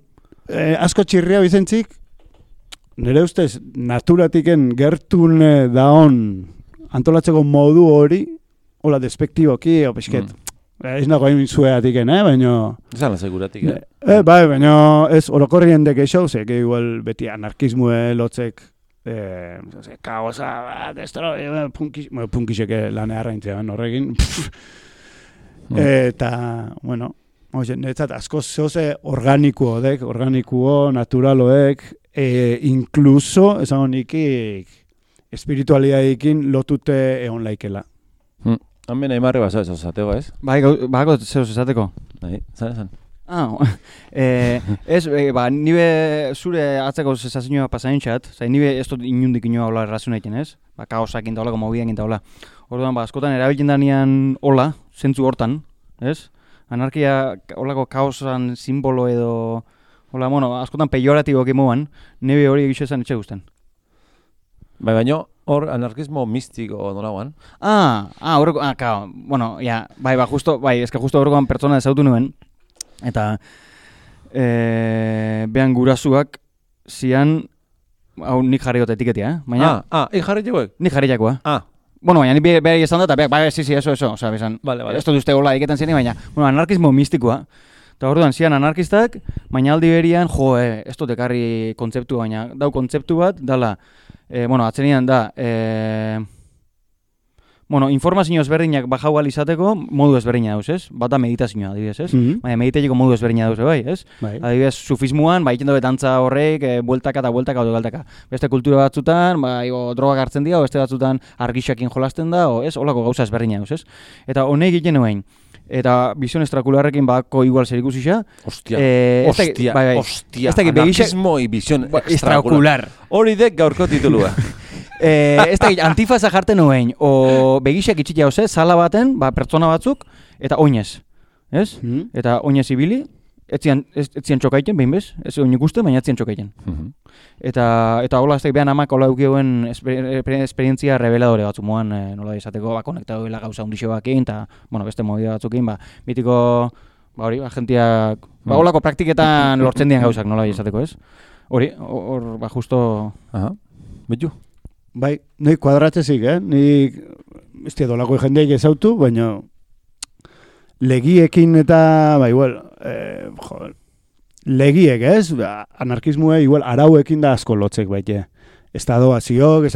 asko txirria bizentzik, nire ustez, naturatiken gertune daon antolatzeko modu hori, hola, despektiboki, pisket, ez nago hain zueatiken, baina... Zan seguratik, Bai, baina ez orokorrien deke xauzek, igual beti anarkismue lotzek, kaosa, destroi, punkiseke lane harraintzean horrekin. Eta, bueno, niretzat asko zehoze organikuo, naturaloek, inkluso, esan honikik, espiritualidadekin lotute egon laikela. Hemen aimarre baso ez osateko, ez? Bai, bako zehoz esateko. Bai, zan. Ez, nibe zure atzeko sensazioa pasaintxat, nibe ez dut inundik inoa hola errazun egiten, ez? Kaosak inda hola, mobiak inda hola. Orduan, askotan erabiltzen danean hola, zentzu hortan, ez? Anarkia holako kaosan simbolo edo... Hola, askotan pejoratiboak imoan, nire hori egizu esan etxe guzten. Bai, baina hor anarkismo mistiko nolagoan. Horreko, kao, justo horrekoan pertsona ezautu nuen, eta behan gurasuak zian, hau nik jarri dut etiketia, baina... Nik jarri jagoek? Nik jarri jagoa. Baina nik behar esan dut, eta eso, oza, bezan, ez dut uste hola iketan ziren, baina, anarkismo mistikoa. Eta orduan, zian anarkistak, baina aldi berian, ez dut ekarri kontzeptu, baina dau kontzeptu bat, dala, atzenian da, informazio ezberdinak bajau izateko modu ezberdina dauz, ez? Bata meditazioa, adibidez, ez? Baina mediteko modu ezberdina dauz, bai, ez? Adibidez, sufismoan, bai, ikendo betantza horrek, bueltaka eta bueltaka, galtaka. Beste kultura batzutan, bai, drogak hartzen dira, beste batzutan argixakin jolasten da, ez? Olako gauza ezberdina dauz, ez? Eta honek egiten nuen, eta bizion estrakularrekin bako igual zer ikusixa. Hostia, anarkismo y bizion estrakular. Hori dek gaurko titulua. Ez da, antifaza jarten nuen, o begisak itxitea hoze, sala baten, pertsona batzuk, eta oinez, ez? Eta oinez ibili, ez zian txokaiten, behin bez? Ez oin ikusten, baina ez zian txokaiten. Eta hola, ez da, behan amak hola eukioen esperientzia reveladore batzu moan, nola izateko, konektatu gauza hundixo bakin, eta, beste movida batzukin, mitiko, hori, agentiak, holako praktiketan lortzen dian gauzak, nola izateko, ez? Hori, hor, justo... Aha, betu? Bai, nahi kuadratzezik, Ni, ez tia dolako jendeik ezautu, baina legiekin eta, igual, legiek, ez? Anarkismue, igual, arauekin da asko lotzek baite. Estado aziok,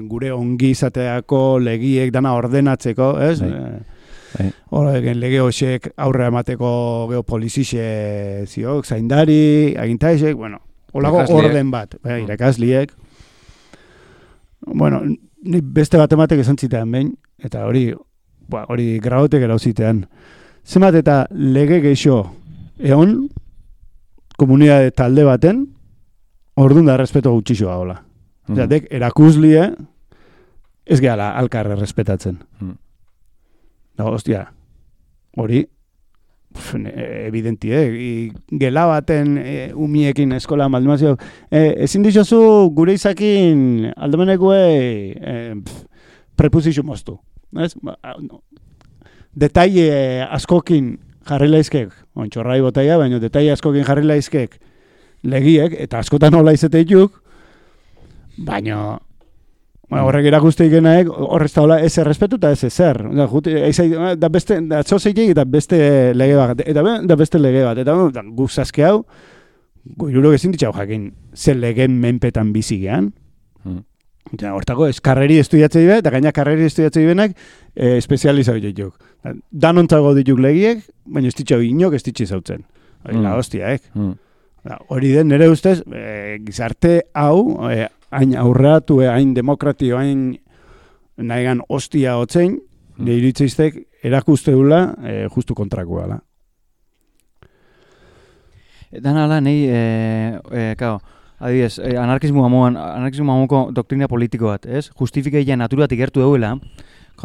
gure ongi izateako legiek dana ordenatzeko, ez? Horregen lege hoxek aurre emateko geopolizixe ziok, zaindari, agintaisek, bueno, holako orden bat, irakasliek. Bueno, ni beste bat ematek esan zitean behin, eta hori graotek erauzitean. Zemat eta lege geixo egon, komunidade talde baten, orduan da respeto gutxixoa hola. Zatek, erakuslie, ez gehala alkarre respetatzen. Hostia, hori, evidentie, gela baten umiekin eskola maldimazio, ezin dixozu gure izakin aldemenekue prepuzixu moztu. Detaile askokin jarri laizkek, ontxorrai botaia, baina detaile askokin jarri laizkek legiek, eta askotan hola izeteituk, baina horrek erakuste ikenaek, horrez da hola ez errespetu eta ez ezer. Da beste, da txoseitek eta beste lege bat, eta beste lege bat, eta guk zazke hau, goirurok ezin ditxau jakin, ze legen menpetan bizigean. Hortako, ez karreri estudiatzei be, eta gaina karreri estudiatzei benak espezializau dituk. Danontzago dituk legiek, baina ez ditxau inok ez ditxi zautzen. La hostiaek. Hori den, nire ustez, gizarte hau, hain aurreatu, hain demokratio, hain nahigan hostia hotzein, nire iritzeiztek erakusteula justu kontrakoa. Dan ala, nahi, kao, adibidez, anarkismo amoko doktrina politiko bat, ez? Justifikeia naturatik gertu dauela,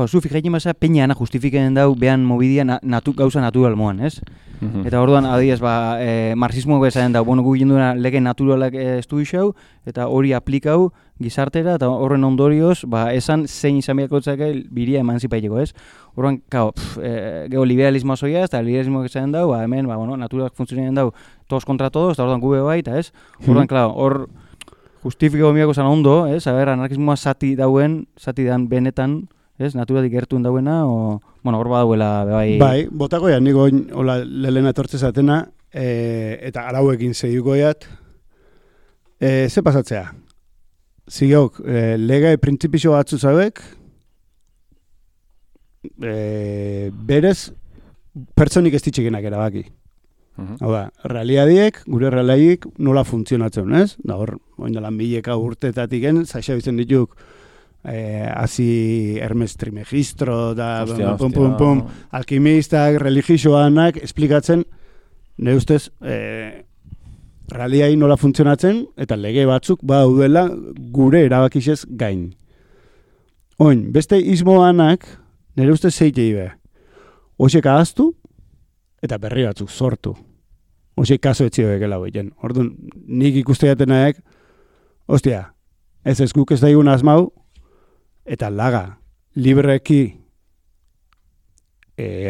zu fikaiten basa peñana justifikaten dau behan mobidia gauza natural moan, ez? Eta orduan, adibidez, marxismo bezaren dau, gu ginduena lege naturalak estudiau, eta hori aplikau gizartera, eta horren ondorioz, esan zein izan behakotzake biria emanzipaiteko, ez? Orduan, geho liberalismoa zoia, eta liberalismo bezaren dau, hemen, naturalak funtzionen dau, todos kontra todos, eta orduan gube bai, eta ez? Orduan, hor justifikau miako zan ondo, ez? Anarkismoa zati dan benetan, ez, naturatik gertuen dauena, hor badauela, bai... Bai, botako ya, niko lehena etortzez atena, eta arauekin zehiuko jat, ze pasatzea? Zigeok, lega printzipixo batzu zauek, berez, pertsonik ez ditxekenak erabaki. Hau da, realiadiek, gure realiadiek nola funtzionatzen, ez? Da hor, oindalan mileka urtetatik gen, zaisa bizen dituk, hazi Hermes Trismegisto da alkimistak, religioanak esplikatzen nire ustez realiai nola funtzionatzen eta lege batzuk daudela gure erabakixez gain. Oin, beste ismoanak nire ustez zeitei be. Hoxek ahaztu eta berri batzuk sortu. Hoxek kaso etxio bekela boiten. Orduan, nik ikuste jatenaek, hostia, ez guk ez daigun asmau, eta laga, libreki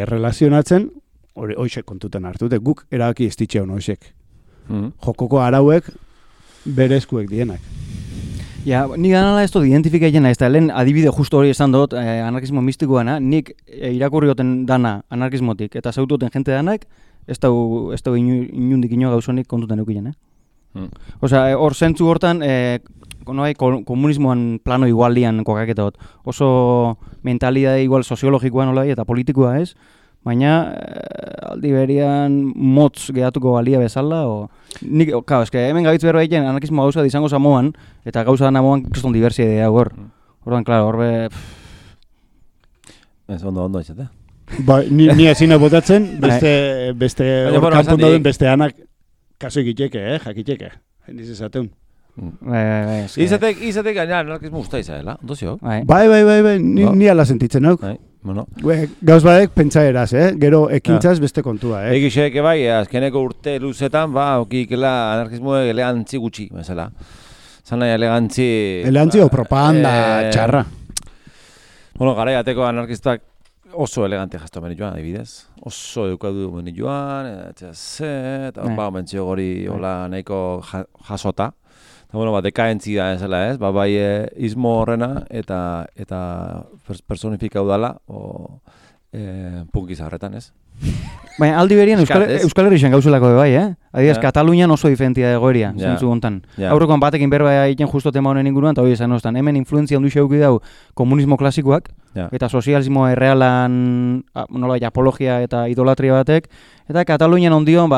relazionatzen, hoxek kontutan hartu, guk erabaki ez ditxeun hoxek. Jokoko arauek berezkuek dienak. Ja, nik ganala ez dut identifikatzen ez da, lehen adibide justo hori esan dut, anarkismo mistikoana, nik irakurrioten dana anarkismotik, eta zaututen jente danak, ez da inundik ino gauzonik kontutan eukinen, Osea, hor zentzu hortan, komunismoan plano igualian kokaketa dut. Oso mentalidade igual soziologikoa nola eta politikoa ez, baina aldi berian motz gehatuko balia bezala, nik, hemen gabitz berba egiten anarkismo gauza izango zamoan, eta gauza dana moan kriston diversia idea hor. Horban, klaro, horbe... Ez ondo izate. Ni ezina botatzen, beste kanpun dauden beste anak kaso egiteke, jakiteke. Hendiz esateun. Izatek gaina anarkismo usta izadela, ondozio? Bai, ni ala sentitzen hauk. Gauz badek pentsa eraz, gero ekintzaz beste kontua. Egixek bai, azkeneko urte luzetan, okikela anarkismo elegantzi gutxi, bezala. Zan nahi elegantzi... Elegantzi o propaganda txarra. Bueno, gara jateko anarkistak oso elegante jasto meni joan, adibidez. Oso eukadu meni joan, eta mentzio gori hola nahiko jasota. Eta bueno, dekaentzia ezela ez, bai izmo horrena eta personifikau dala, punkiza horretan ez. Baina aldi berien Euskal Herrixen gauzelako bai, Adibidez, Katalunian oso diferentia egoeria, zentzu gontan. Aurrekoan batekin berba egiten justo tema honen inguruan, eta hori esan ostan, hemen influenzia handu xeuki dau komunismo klasikoak, eta sozialismo errealan, nolabait apologia eta idolatria batek, eta Katalunian ondion,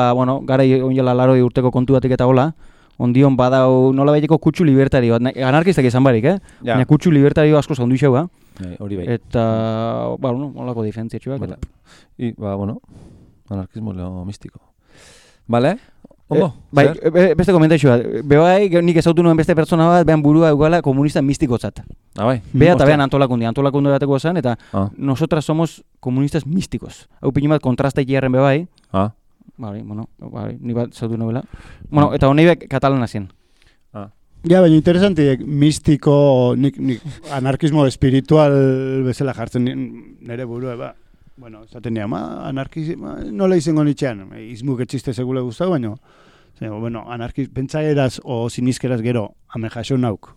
gara onjela 80 urteko kontu batek eta hola, ondion badau nolabaiteko kutsu libertario, anarkistak izan barik, baina kutsu libertario asko zaundu xeu, hori bai. Eta, nolako diferentziatxuak. Anarkismo mistiko. Bale? Ondo? Beste komentaixua. Bebai, nik ezautu nuen beste pertsona bat, behan burua eugala komunista mistikotzat. Bai? Bea eta behan antolakundi bateko esan, eta nosotras somos comunistas místicos. Hau pini bat kontrastaik jarren bebai. Ni bat zautu novela. Eta honi bek katalana zien. Ja, baina interesantiek mistiko, nik anarkismo espiritual bezala jartzen nire burua, esaten nire, anarkismo, nola izango nitxean, izmuk etxiste segule guztau, baina, pentsaeraz o sinizkeraz gero, ame jaso nauk.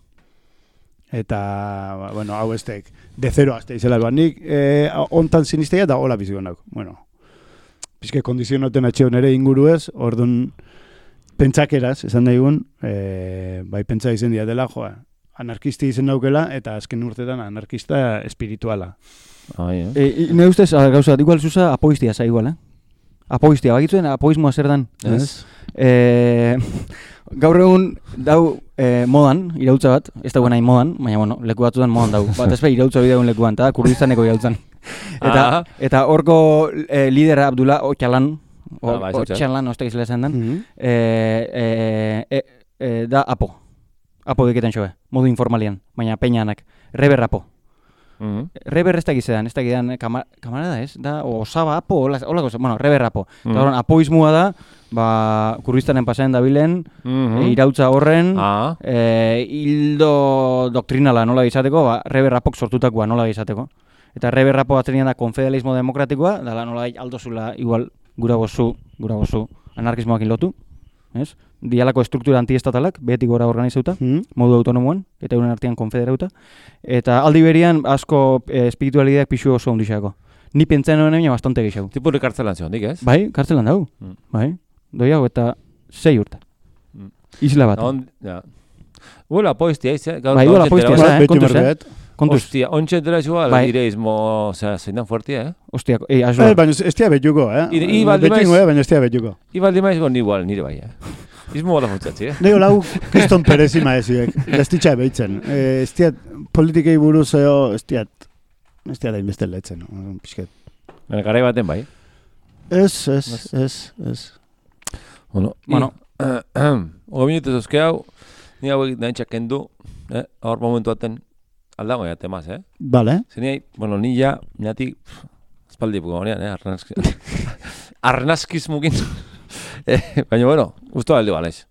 Eta, hau estek, de zero azte izela, nik ontan sinizteia da hola biziko nauk. Pizke kondizionoten atxeo nire inguru ez, orduan, pentsakeraz, esan daigun, bai pentsa izen dia dela, anarkisti izen daukela, eta azken urtetan anarkista espirituala. Ne ustez, gauza, igual zuza apoistia za igual, Apoistia, bagitzuen apoismoa zer dan. Gaur egun dau modan, irautza bat, ez dagoen nahi modan, baina leku batzutan modan dau. Bat ezpe irautza bideagun lekuan, eta Kurdistaneko irautzan. Eta horko lidera Abdullah Öcalan, Otxalan, ozta gizela esan den, da apo deketen xoe, modu informalian, baina peinanak, reber apo. Reber ez da gizean, kamarada ez, da, osaba apo, hola goza, reber apo. Eta horren, apoizmua da, Kurdistanen pasaen dabilen, irautza horren, hildo doktrinala nola izateko, reber apok sortutakoa nola izateko. Eta reber apo atzenian da konfederalismo demokratikoa, dala nola aldozula igual, gura bozu, anarkismoakin lotu, ez? Dialako estruktura antiestatalak, behetik gora organizauta, modu autonomoan, eta euren artean konfederauta. Eta aldi berian, asko espiritualideak pixu oso ondixako. Ni pentsaen honen baina bastante gixau. Tipurri kartzelan ziondik, ez? Bai, kartzelan dau. Bai, doi hau eta 6 urte. Isla bat. Huela apoiztia, izan? Bai, huela apoiztia, kontuz, Hostia, ontsa entera igual, direizmo, zeinan fuertia, Hostia, aslo. Baina ez tia betuko, baina ez tia betuko. Ibaldi maiz gon igual, nire bai, Izmo gola funtzatzi, Nego lau, kriston perezima eziek, gaztitxa ebeitzen. Ez tiat politikei buruz ez tiat da inbeste letzen, pixket. Baina garai baten bai? Ez. Bueno. 5 minutuz euske hau, ni hau egit nahintxak kendu, hor momentu baten, aldago ya temas, Vale. Zeniai, ni ja, nati, espaldi puko honean, arnaskizmukin. Baina, guztu aldi balaiz.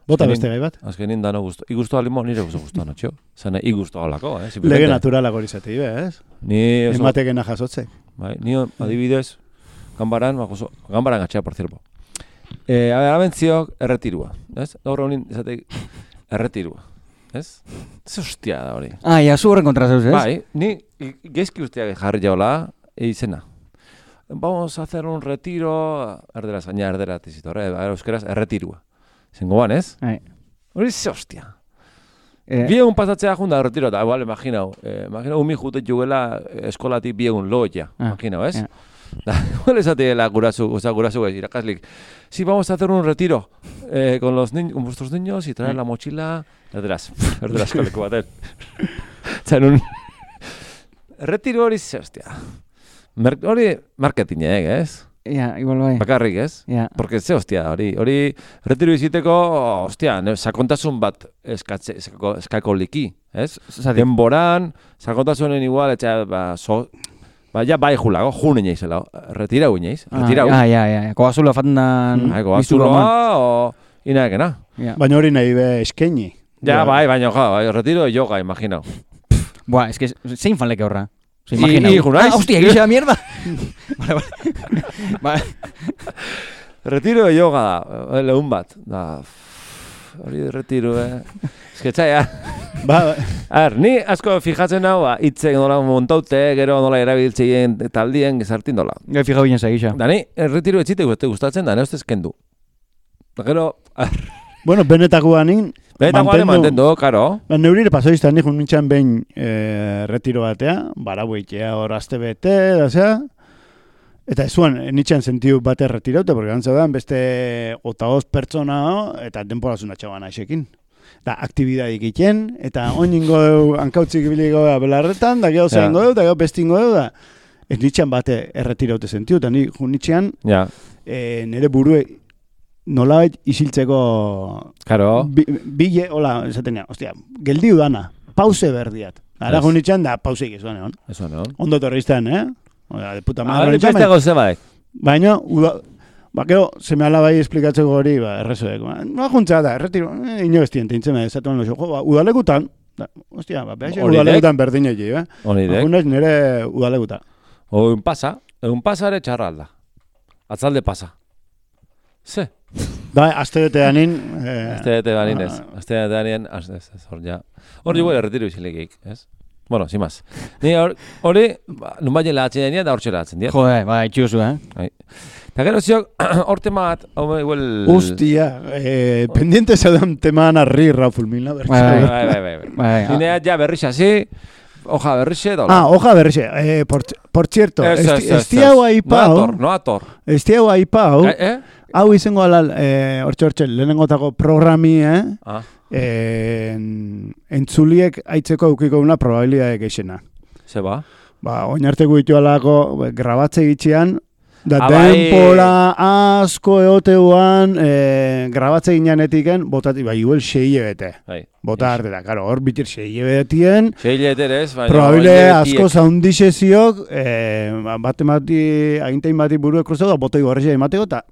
Bota beste gai bat. Azkenin dano guztu. Igustu alimo nire guztu anotxo. Zene, igustu alako, Lege naturalak hori zati, ez? Ni... Ematekena jasotzek. Bai, ni adibidez, gambaran gatxea, por cierto. Abentziok erretirua, ez? Gaur honin, esatek, erretirua. Ez? Ez hostia da hori. Zu horren kontra zeuz, ez? Bai, ni geizki usteak jarri jaola, izena. Vamos a hacer un retiro, erdera tizitorre, euskeraz, erretirua. Zengo ban, ez? Hori ze hostia. Biegun pasatzea junda retiro, eta igual, imaginau, umi jutet jugela eskolatik biegun loia, imaginau, ez? Igual esatela gurasu ez, irakaslik. Sí, vamos a hacer un retiro con vuestros niños y traer la mochila. Erderaz koleko baten. Zan retiro hori ze, hostia. Hori marketing ez? Igual bai. Bakarrik, ez? Porque ze, hostia, hori retiro iziteko, hostia, sakontasun bat eskako liki, ez? Denboran, sakontasunen igual, etxea, ja bai julago, june inoizela, retirau inoiz, retirau. Koazula fatendan... Koazuloa, o... Inaekena. Baina hori nahi be eskeni. Ja, bai, baina retiro yoga, imaginau. Es que zein fan leke horra. Se imagina. Hostia, gisa mierda. Vale. Retiro de yoga da, lehun bat. Da, hori retiro, Esketxaia. Ni asko fijatzen hau, hitzek nola montaute, gero nola erabiltzeien taldien gizartin dola. Fija binen segisa. Da, ni retiro etxite gustatzen, da, ne ustez kendu. Da, gero... Bueno, benetakoanin mantendu, karo. Neurire pasoiztan nijun nintxan behin retiro batea, baraueitea hor azte bete, da zea. Eta ezuan, nintxan sentiu bate retiraute, porque gantzabean beste 5 pertsona eta denporazuna txaban aixekin. Da, aktibidadik iten, eta oiningo hankautzik biliko da belarretan, da gero zaingo da gero bestingo da. Ez nintxan bate erretiraute sentiu, eta nintxan nire burue nolabait isiltzeko bile, hola, esaten ostia, geldiu dana, pause berdiat. Ara junitxan da pauseik ezuan egon. Ondo torrizten, Oda, de puta madre. Beste goze baek. Baina, gero, seme alabai esplikatzeko hori, errezoek. No juntza da, erretiro, ino bestien, teintzen, esatuan loxo, udalekutan, ostia, behaxe udalekutan berdin egi, Agunez nire udalekuta. Egun pasa ere txarra alda. Atzalde pasa. Ze? Da, azte anin... Azte anin ez. Azte anin, hor ja. Hor jugu erretiro izilegik, ez? Bueno, sin más. Ni hori, nun baina lahatzen dira, da hor txeratzen dira. Jode, itxuzu, Eta gero ziok, hor temat, hau igual... Hostia, pendiente zaudan temaan arri, Raúl Milna, Bai. Zinea ja berrixa, sí? Hoja berrixe, dola. Hoja berrixe. Por cierto, estiago aipau... No ator. Estiago aipau... Hau izango alal, hortxe, lehenengotako programi, entzuliek aitzeko eukiko una probabilidade geixena. Ze ba? Oinarteko ditu alako, grabatze gitxean, da denpora asko eoteuan, grabatze gineanetiken, botati, igual 6 bete. Bota arte da, karo, hor bitir 6 betien. 6 beterez, baina... Probabile asko zaundiseziok, agintein bati burue kruzau da, botoi gorrezia imateko, eta...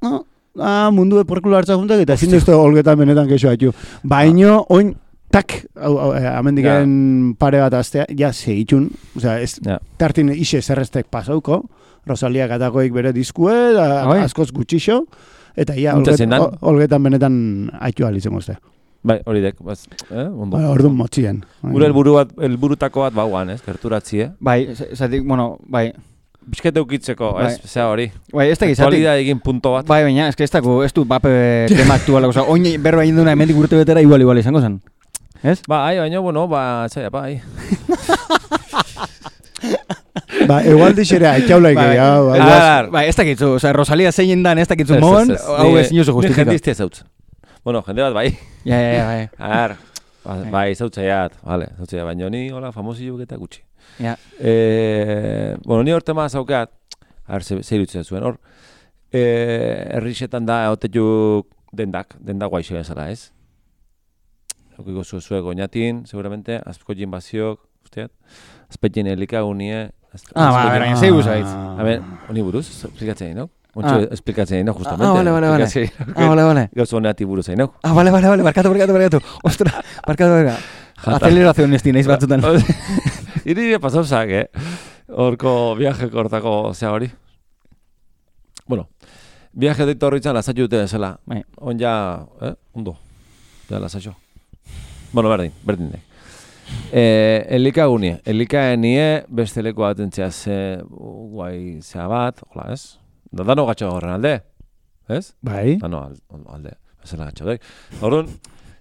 mundu eporkulo hartza juntak, eta ezin duzte olgetan benetan kexo haitu. Baino, oin, tak, amendiken pare bat aztea, ja segitxun, tartin ise zerreztek pasauko, Rosalia katakoik bere diskue, askoz gutxixo, eta ja, olgetan benetan haitu alitzen gozte. Bai, hori dek, ondo. Orduan motxien. Gure elburutako bat bauan, gerturatzi, Bai, zatik, bueno, bai, bizkete ukitzeko, zea hori. Bai, ez da gizatik. Kualida egin punto bat. Bai, baina, ez du bape tema aktuala, oin berba egin duna emendik urte betera igual izango zen. Ez? Bai, baina, bueno, zaila, bai. Egual dixere, haitxaulaik egia. Bai, ez dakitzu, Rosalia zein dan ez dakitzu moan, hau ez inozu justifika. Ni jendiztia zautzen. Bueno, jende bat, bai. Bai. Bai, zautzeiat, baina ni, hola, famosillo eta gutxi. Bueno, ni hor tema zaukeat, zer irutzen zuen, hor, errixetan da, otetuk dendak guaixo bezala, ez? Okiko zuek goñatin, seguramente, azpiko jinbaziok, usteat, azpetien elikagunie... Baina, zei buzaitz. Honi buruz, esplikatzen egin, no? Ontsu esplikatzen egin, no, justamente. Vale. Gauzo honeati buruz egin, no? Vale, barkatu. Ostra, barkatu. Aceleración esti naiz batzutan. Iri pasauzak, horko viaje kortako zea hori. Bueno, viaje deitu horritzen lasatxu dute zela. On ja, ondo, ja lasatxo. Bueno, berdin. Elikagunie, beste leku bat entzea guai zea bat, hola ez? Dano gatxo horren alde, ez? Bai. Dano alde, bezala gatxo dek. Horren,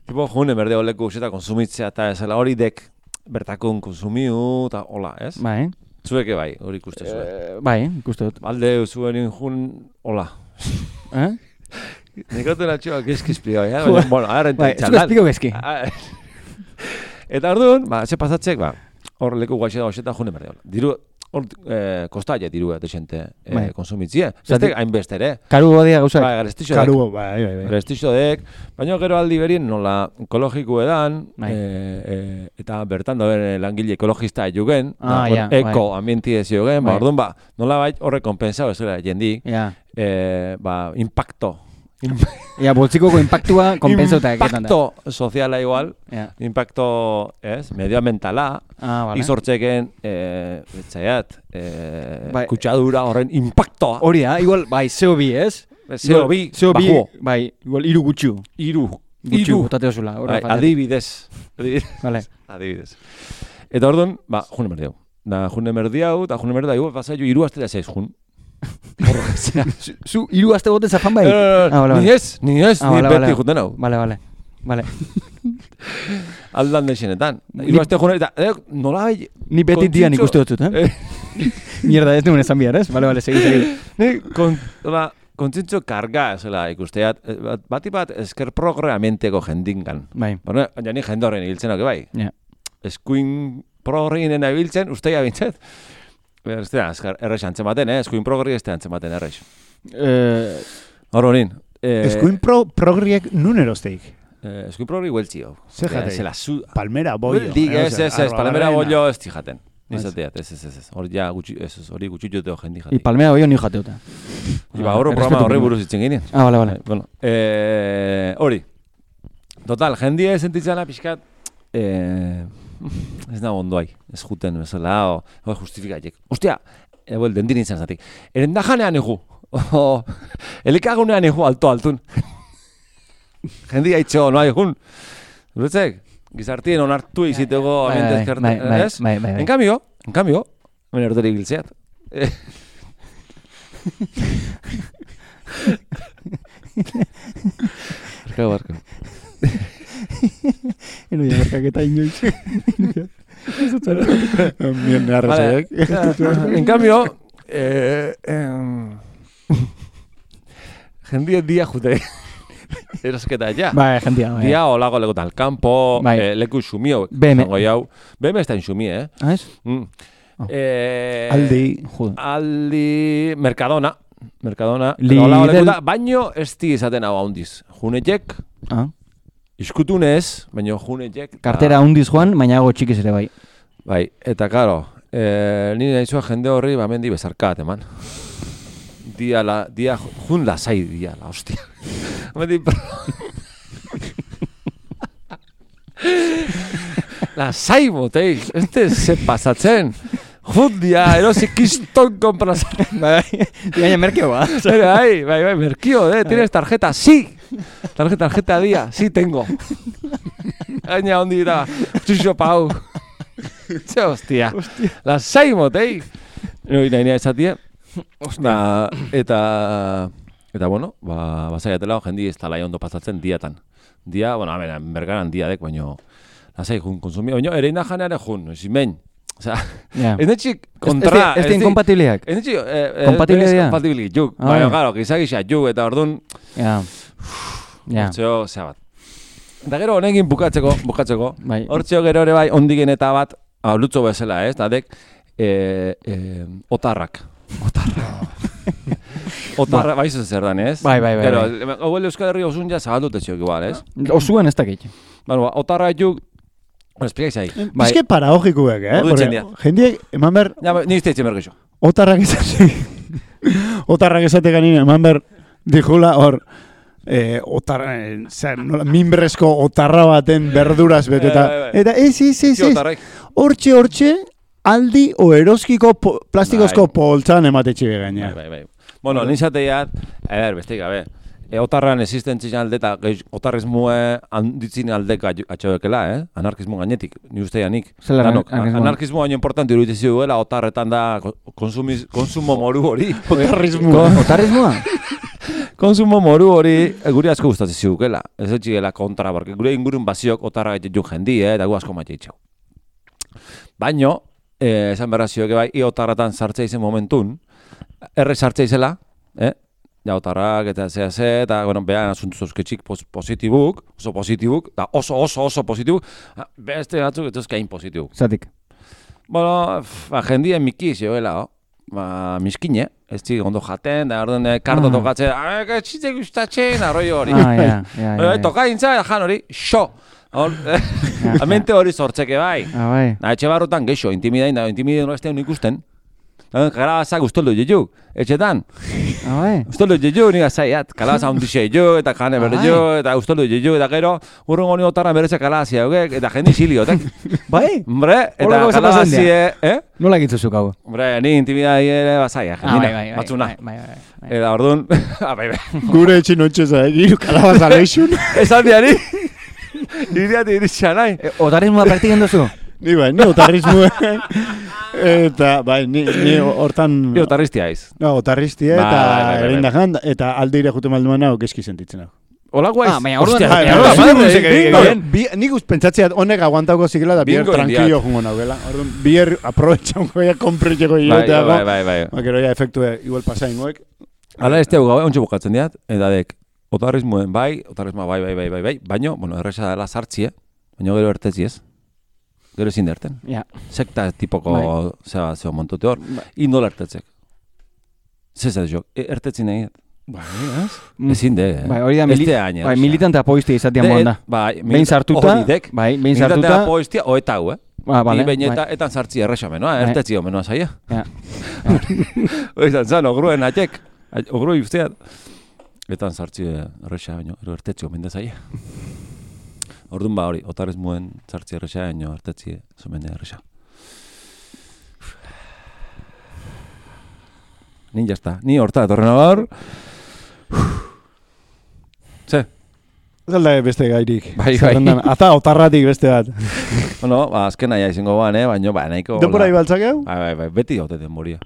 tipo, june berde oleku useta konsumitzea eta ezela hori dek bertakun konsumiu eta hola, ez? Bai. Zueke bai, hori ikuste zuen. Bai, ikuste dut. Alde zuen jun, hola. Nikotu natxoa gezki esplikau, ja? Bueno, ara bai, zuko esplikau gezki. Eta orduan, ze pasatzek, hor leku guaxe da hoxeta june berde hola. Diru, hor kostaia diru desente konsumitzie. Zaztek hainbeste ere. Karugo badia gauzak. Bai, garestixo dek. Karugo, bai. Garestixo dek. Baina gero aldi berien nola ekologiko edan, eta bertan dauen langile ekologista jugen, eko ambienti ez jugen, orduan nola bai horre kompensau ez gara jendik, impacto Ja, boltsikoko impactua konpentsauta eketan da. Impacto soziala igual, impacto, medioambientala, izortzeken, betzaiat, kutsadura horren impactoa. Hori da, igual, bai, CO2, ez? CO2, bajo. Bai, igual, iru gutxu. Gutxu, botate osula. Adibidez. Vale. Adibidez. Eta orduan, june merdi hau. Da, june merdi hau, eta june merdi hau, pasai jo, 3 aste da 6 jun. Zu 3 aste bote zafan bai? Ni ez, ni beti juten hau. Vale. Aldan deixenetan. 3 aste june, eta nola bai... Ni beti dian ikuste dutut, Mierda, ez nuen esan bihar, ez? Vale, segi. Ni, kontzintzo karga, zela, ikusteat, bati bat esker programamenteko jendingan. Bai. Baina, ni jende horren ibiltzen hau, bai. Eskuin progrinen ibiltzen, usteia bintzet. Ez da, errex antzematen, eskuin progri ez da antzematen errex. Hor honin. Eskuin progriek nun erosteik? Eskuin progri hueltzi hau. Zer jatei? Palmera bollo. Ez, palmera bollo ez tijaten. Nizateat, ez. Hori ja, hori gutxitxoteo jendi jatik. Palmera bollo ni jateuta. Iba, horro programa horri buruz itzen ginen. Vale. Bueno, hori. Total, jendia sentitzana pixkat, ez nago ondoai, ez juten bezala, o justifikatek. Ostia, dentin izan zatik. Erendajanean egu, elikagunean egu altun. Jendia itxo, no egun. Duretzek, gizartien onartu izitego amendez kerten, ez? Bai. En cambio, hemen erderi biltzeat. Barka. Eno ya barkaketa inoiz. Bien arrezek. En cambio, jendia dia jute. Erosketa ja. Bai, jendia. Dia olago legotan campo, leku xumio. BM ez da inxumi, Ez? Aldi, Mercadona. Lidl. Baino ez di izaten hau handiz. Junetek, iskutunez, baino junetek. Kartera handiz joan, baina hago txikiz ere bai. Bai, eta karo, nire nahizua jende horri bamendi bezarkat, eman. Dia jun lasai dia, la hostia. Lasai botei, se pasatzen. Judia, erosik kiston komprazen. Bai, baina merkio ba. Bai, merkio, tienes tarjeta, sí. Tarjeta dia, sí tengo. Gaina hondi da, txuxo pau. Txe, hostia. Lasai botei. Nahi esatia. Eta bueno, basaiatela jendi ez talai ondo pasatzen diatan. Dia, bueno, bergaran diadek, baino lasai jun konsumio, baino ere indajaneare jun, zimen. Osea, ez netxik kontra... Ez din kompatibiliak? Ez netxik... Kompatibiliak? Juk. Baina, claro, gizagisa juk, eta orduan... Hortzeo, zea bat. Eta gero honekin bukatzeko. Hortzeo gero ere bai, ondigen eta bat, lutzo bezala, ez? Dadek, otarrak. Otarra, bai zer dan, ez? Bai. Pero, hauel Euskal Herri osun ja zabaldute ziok igual, ez? Osuan ez dakit. Bueno, otarra juk... Esplikaiz ahi. Bizke paraogikuek, Jendiek, eman ber... Ni izte itzen bergixo. Otarrak esatek ganin, eman ber, dijula hor, minbrezko otarra baten berduraz beteta. Eta hortxe, aldi o eroskiko plastikozko poltsan ematetxe gaina. Bai. Bueno, nizateiat, besteik, otarran existentzien alde eta otarrismue handitzin aldeka atxabekela, anarkismo gainetik, ni usteanik. Anarkismo gaino importanti urutizi duela, otarretan da konsumo moru hori. Otarrismoa? Konsumo moru hori guri asko gustatzen zidukela. Ez etxigela kontra, porque gure ingurun baziok otarra gaitetun jendi, eta gu asko maite itxau. Baino, esan berra zioke bai, otarratan sartzea izen momentun, erre sartzea izela, ja, otarrak eta zehaz, eta, bueno, behan asuntu zozketxik positibuk, da oso positibuk, beste batzuk ez ezkain positibuk. Zatik? Bueno, jendien miki zioela, miskine, ez zik ondo jaten, da orduan kardo tokatzen, txitek gustatzen, arroi hori. Toka intza, jan hori, xo! Amente hori sortzeke bai. Bai. Etxe barrotan geixo, intimidain, no ez teun ikusten. Kalabazak ustoldu jitu, etxetan. Ustoldu jitu, nik azaiat. Kalabaza hundixe jitu, eta jane berde jitu, eta ustoldu jitu, eta gero, urrungo ni otarra bereze kalabazia hogek, eta jendi xiliotek. Bai? Hombre, eta kalabazie, Nola gitzuzuk hau? Hombre, ni intimidai ere bazaia, jendina, batzuna. Eta orduan, Gure etxin otxeza, giru kalabaza leixun. esan diari, iriati iritsa nahi. Otarismoa praktiken duzu? Ni otarrismuen. Eta, bai, ni hortan... Ni otarristia aiz. No, otarristia eta erindajan, eta aldeire jute malduan hau geski sentitzen hau. Hola guaiz. Nik pentsatzea honek aguantauko zikela da bier tranquillo jungo naugela. Orduan, bier aprovechango ya kompretzeko hiloteago. Bai. Gero ja efektu igual pasaingoek. Hala ez tegu gabe, ontsi bukatzen diat, eta dek, otarrismoen otarrismoa bai, baino, bueno, erresa dela sartzie, baino gero ertetzi ez. Gero ezin derten. Sekta tipoko zeo montute hor, indola ertetzek. Zezat jo, ertetzi nahi. Bai, ez? Ezin de, hori da militante apoiztia izatea moan da. Behin sartuta, militante apoiztia, oeta hau, Vale. Behin etan sartzi erresa menoa, ertetzi hau menoa zaia. Oizan zan, ogruen atxek, ogrui usteat. Etan sartzi erresa baino, ertetzi hau mende zaia. Orduan hori, otarismoen sartzi erresa, baino ertetzi zomende erresa. Ni jazta, ni horta etorren agar. Ze? Zalda beste gairik. Bai. Ata otarratik beste bat. Bueno, azken naia izango baino, nahiko... Denbora ibaltzak hau? Bai, beti gaute denboria.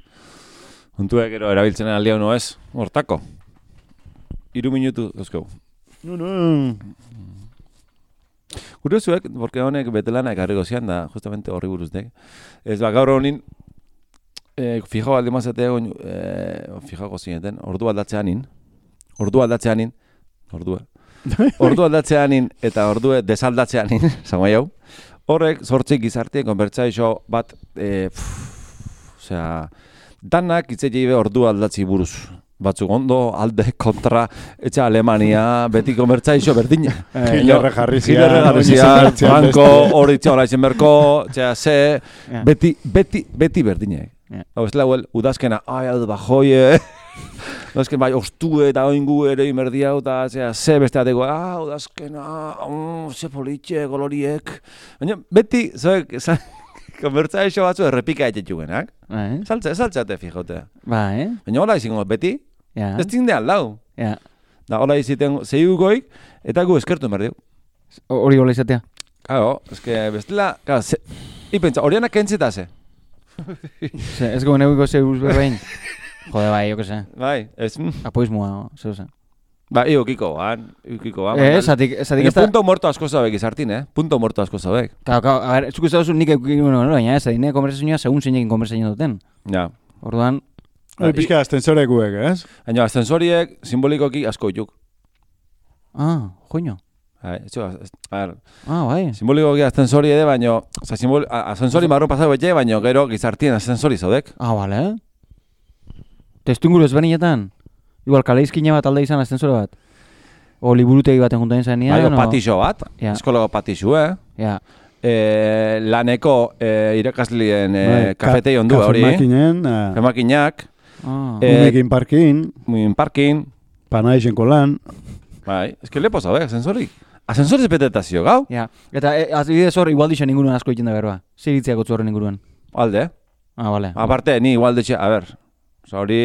Huntuek ero erabiltzen aldia uno ez, hortako. 3 minutu, dozkau. No. Kuriosuek, porque honek betelana ekarriko zian da, justamente horri buruztek. Ez gaur honin, fijo alde mazate egon, fijako zineten, ordu aldatzeanin, eta ordue desaldatzeanin, zango jau, horrek zortzik gizartien konbertsaixo bat, danak itzei ordu aldatzi buruz. Batzuk ondo, alde, kontra, etxe Alemania, beti konbertsaixo berdina. Gilerre jarrizia, banko, hori txea hola izen berko, beti berdina. Hau ez lauel, udazkena, alde bajoie, udazken bai, ostue eta oingu ere imerdia, eta ze beste ateko, udazkena, ze politxe, koloriek. Baina, beti, konbertsaixo batzu errepika etxetugenak. Saltzeate fijote. Baina hola izingo beti, ez zindean lau. Da hola iziten zeiugoik, eta gu eskertu merdiu. Hori hola izatea? Claro, eske bestela, ipentsa, horianak kentzitase. Ez goen eguiko zeus berbein. Jode bai, jo que se. Bai, ez... Apoizmoa, zeusen. Ba, iukiko ban. Zatik ez da... Punto muerto asko zabek izartin, Punto muerto asko zabek. Claro, a ver, zuk ez dauzun nik eukiko, baina ez, adine konversazioa segun zeinekin konversazioa duten. Ja. Orduan... Hori pixka ascensorekuek, ez? Baina ascensoriek simbolikoki asko ituk. Joño. Bai. Simbolikoki ascensori ere, baina... Ascensori marrun pasau betxe, baina gero gizartien ascensori zaudek. Bale. Testunguru ezberdinetan? Igual kaleizkina bat alde izan ascensore bat? O liburutegi baten juntain zanean? Bai, patixo bat, eskolago patixu, laneko irakaslien kafetei ondu hori. Kafemakinak. Munekin parkin. Panaixenko lan. Bai, eske lepo zabe, ascensorik. Ascensoriz betetazio, gau? Ja, eta adibidez hor igual dixen inguruan asko egiten da berba. Ziritziak utzu horren inguruan. Alde. Bale. Aparte, ni igual ditxe, a ber, hori...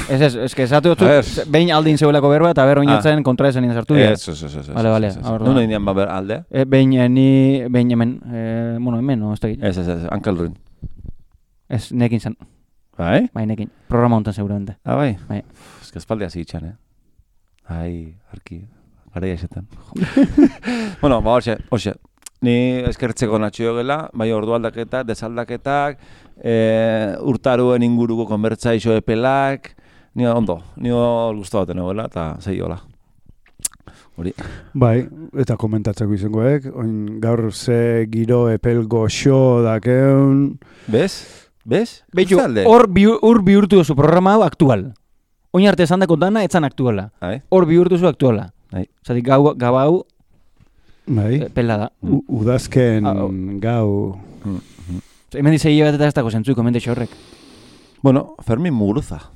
Ez que esatu dut, behin aldin zeuelako berba eta ber oinatzen kontra esan sartu dira. Ez. Bale. Nuna indian ber alde? Behin hemen, hemen, ez da egin. Ez, Ankelruin. Ez, nekin zen. Bai? Bai, nekin. Programa honetan seguramente. Bai? Bai. Ez que espaldia zitxan, arki, gara jaixetan. Bueno, ba, hoxe. Ni eskertzeko natxio gela, bai ordu aldaketak, desaldaketak, urtaruen inguruko konbertsaixo epelak, ni guztu baten egela, eta zei hola. Hori. Bai, eta komentatzeko izangoek, gaur ze giro epel goxo dakeun... Bez? Beitu, hor bihurtu duzu programa hau aktual. Oin arte esan dako dana, etzan aktuala. Hor bihurtu zu aktuala. Zatik gau hau, pela da. Udazken gau... Hemen dizei bat eta ez dago zentzuiko, hemen horrek. Bueno, Fermin Muguruza.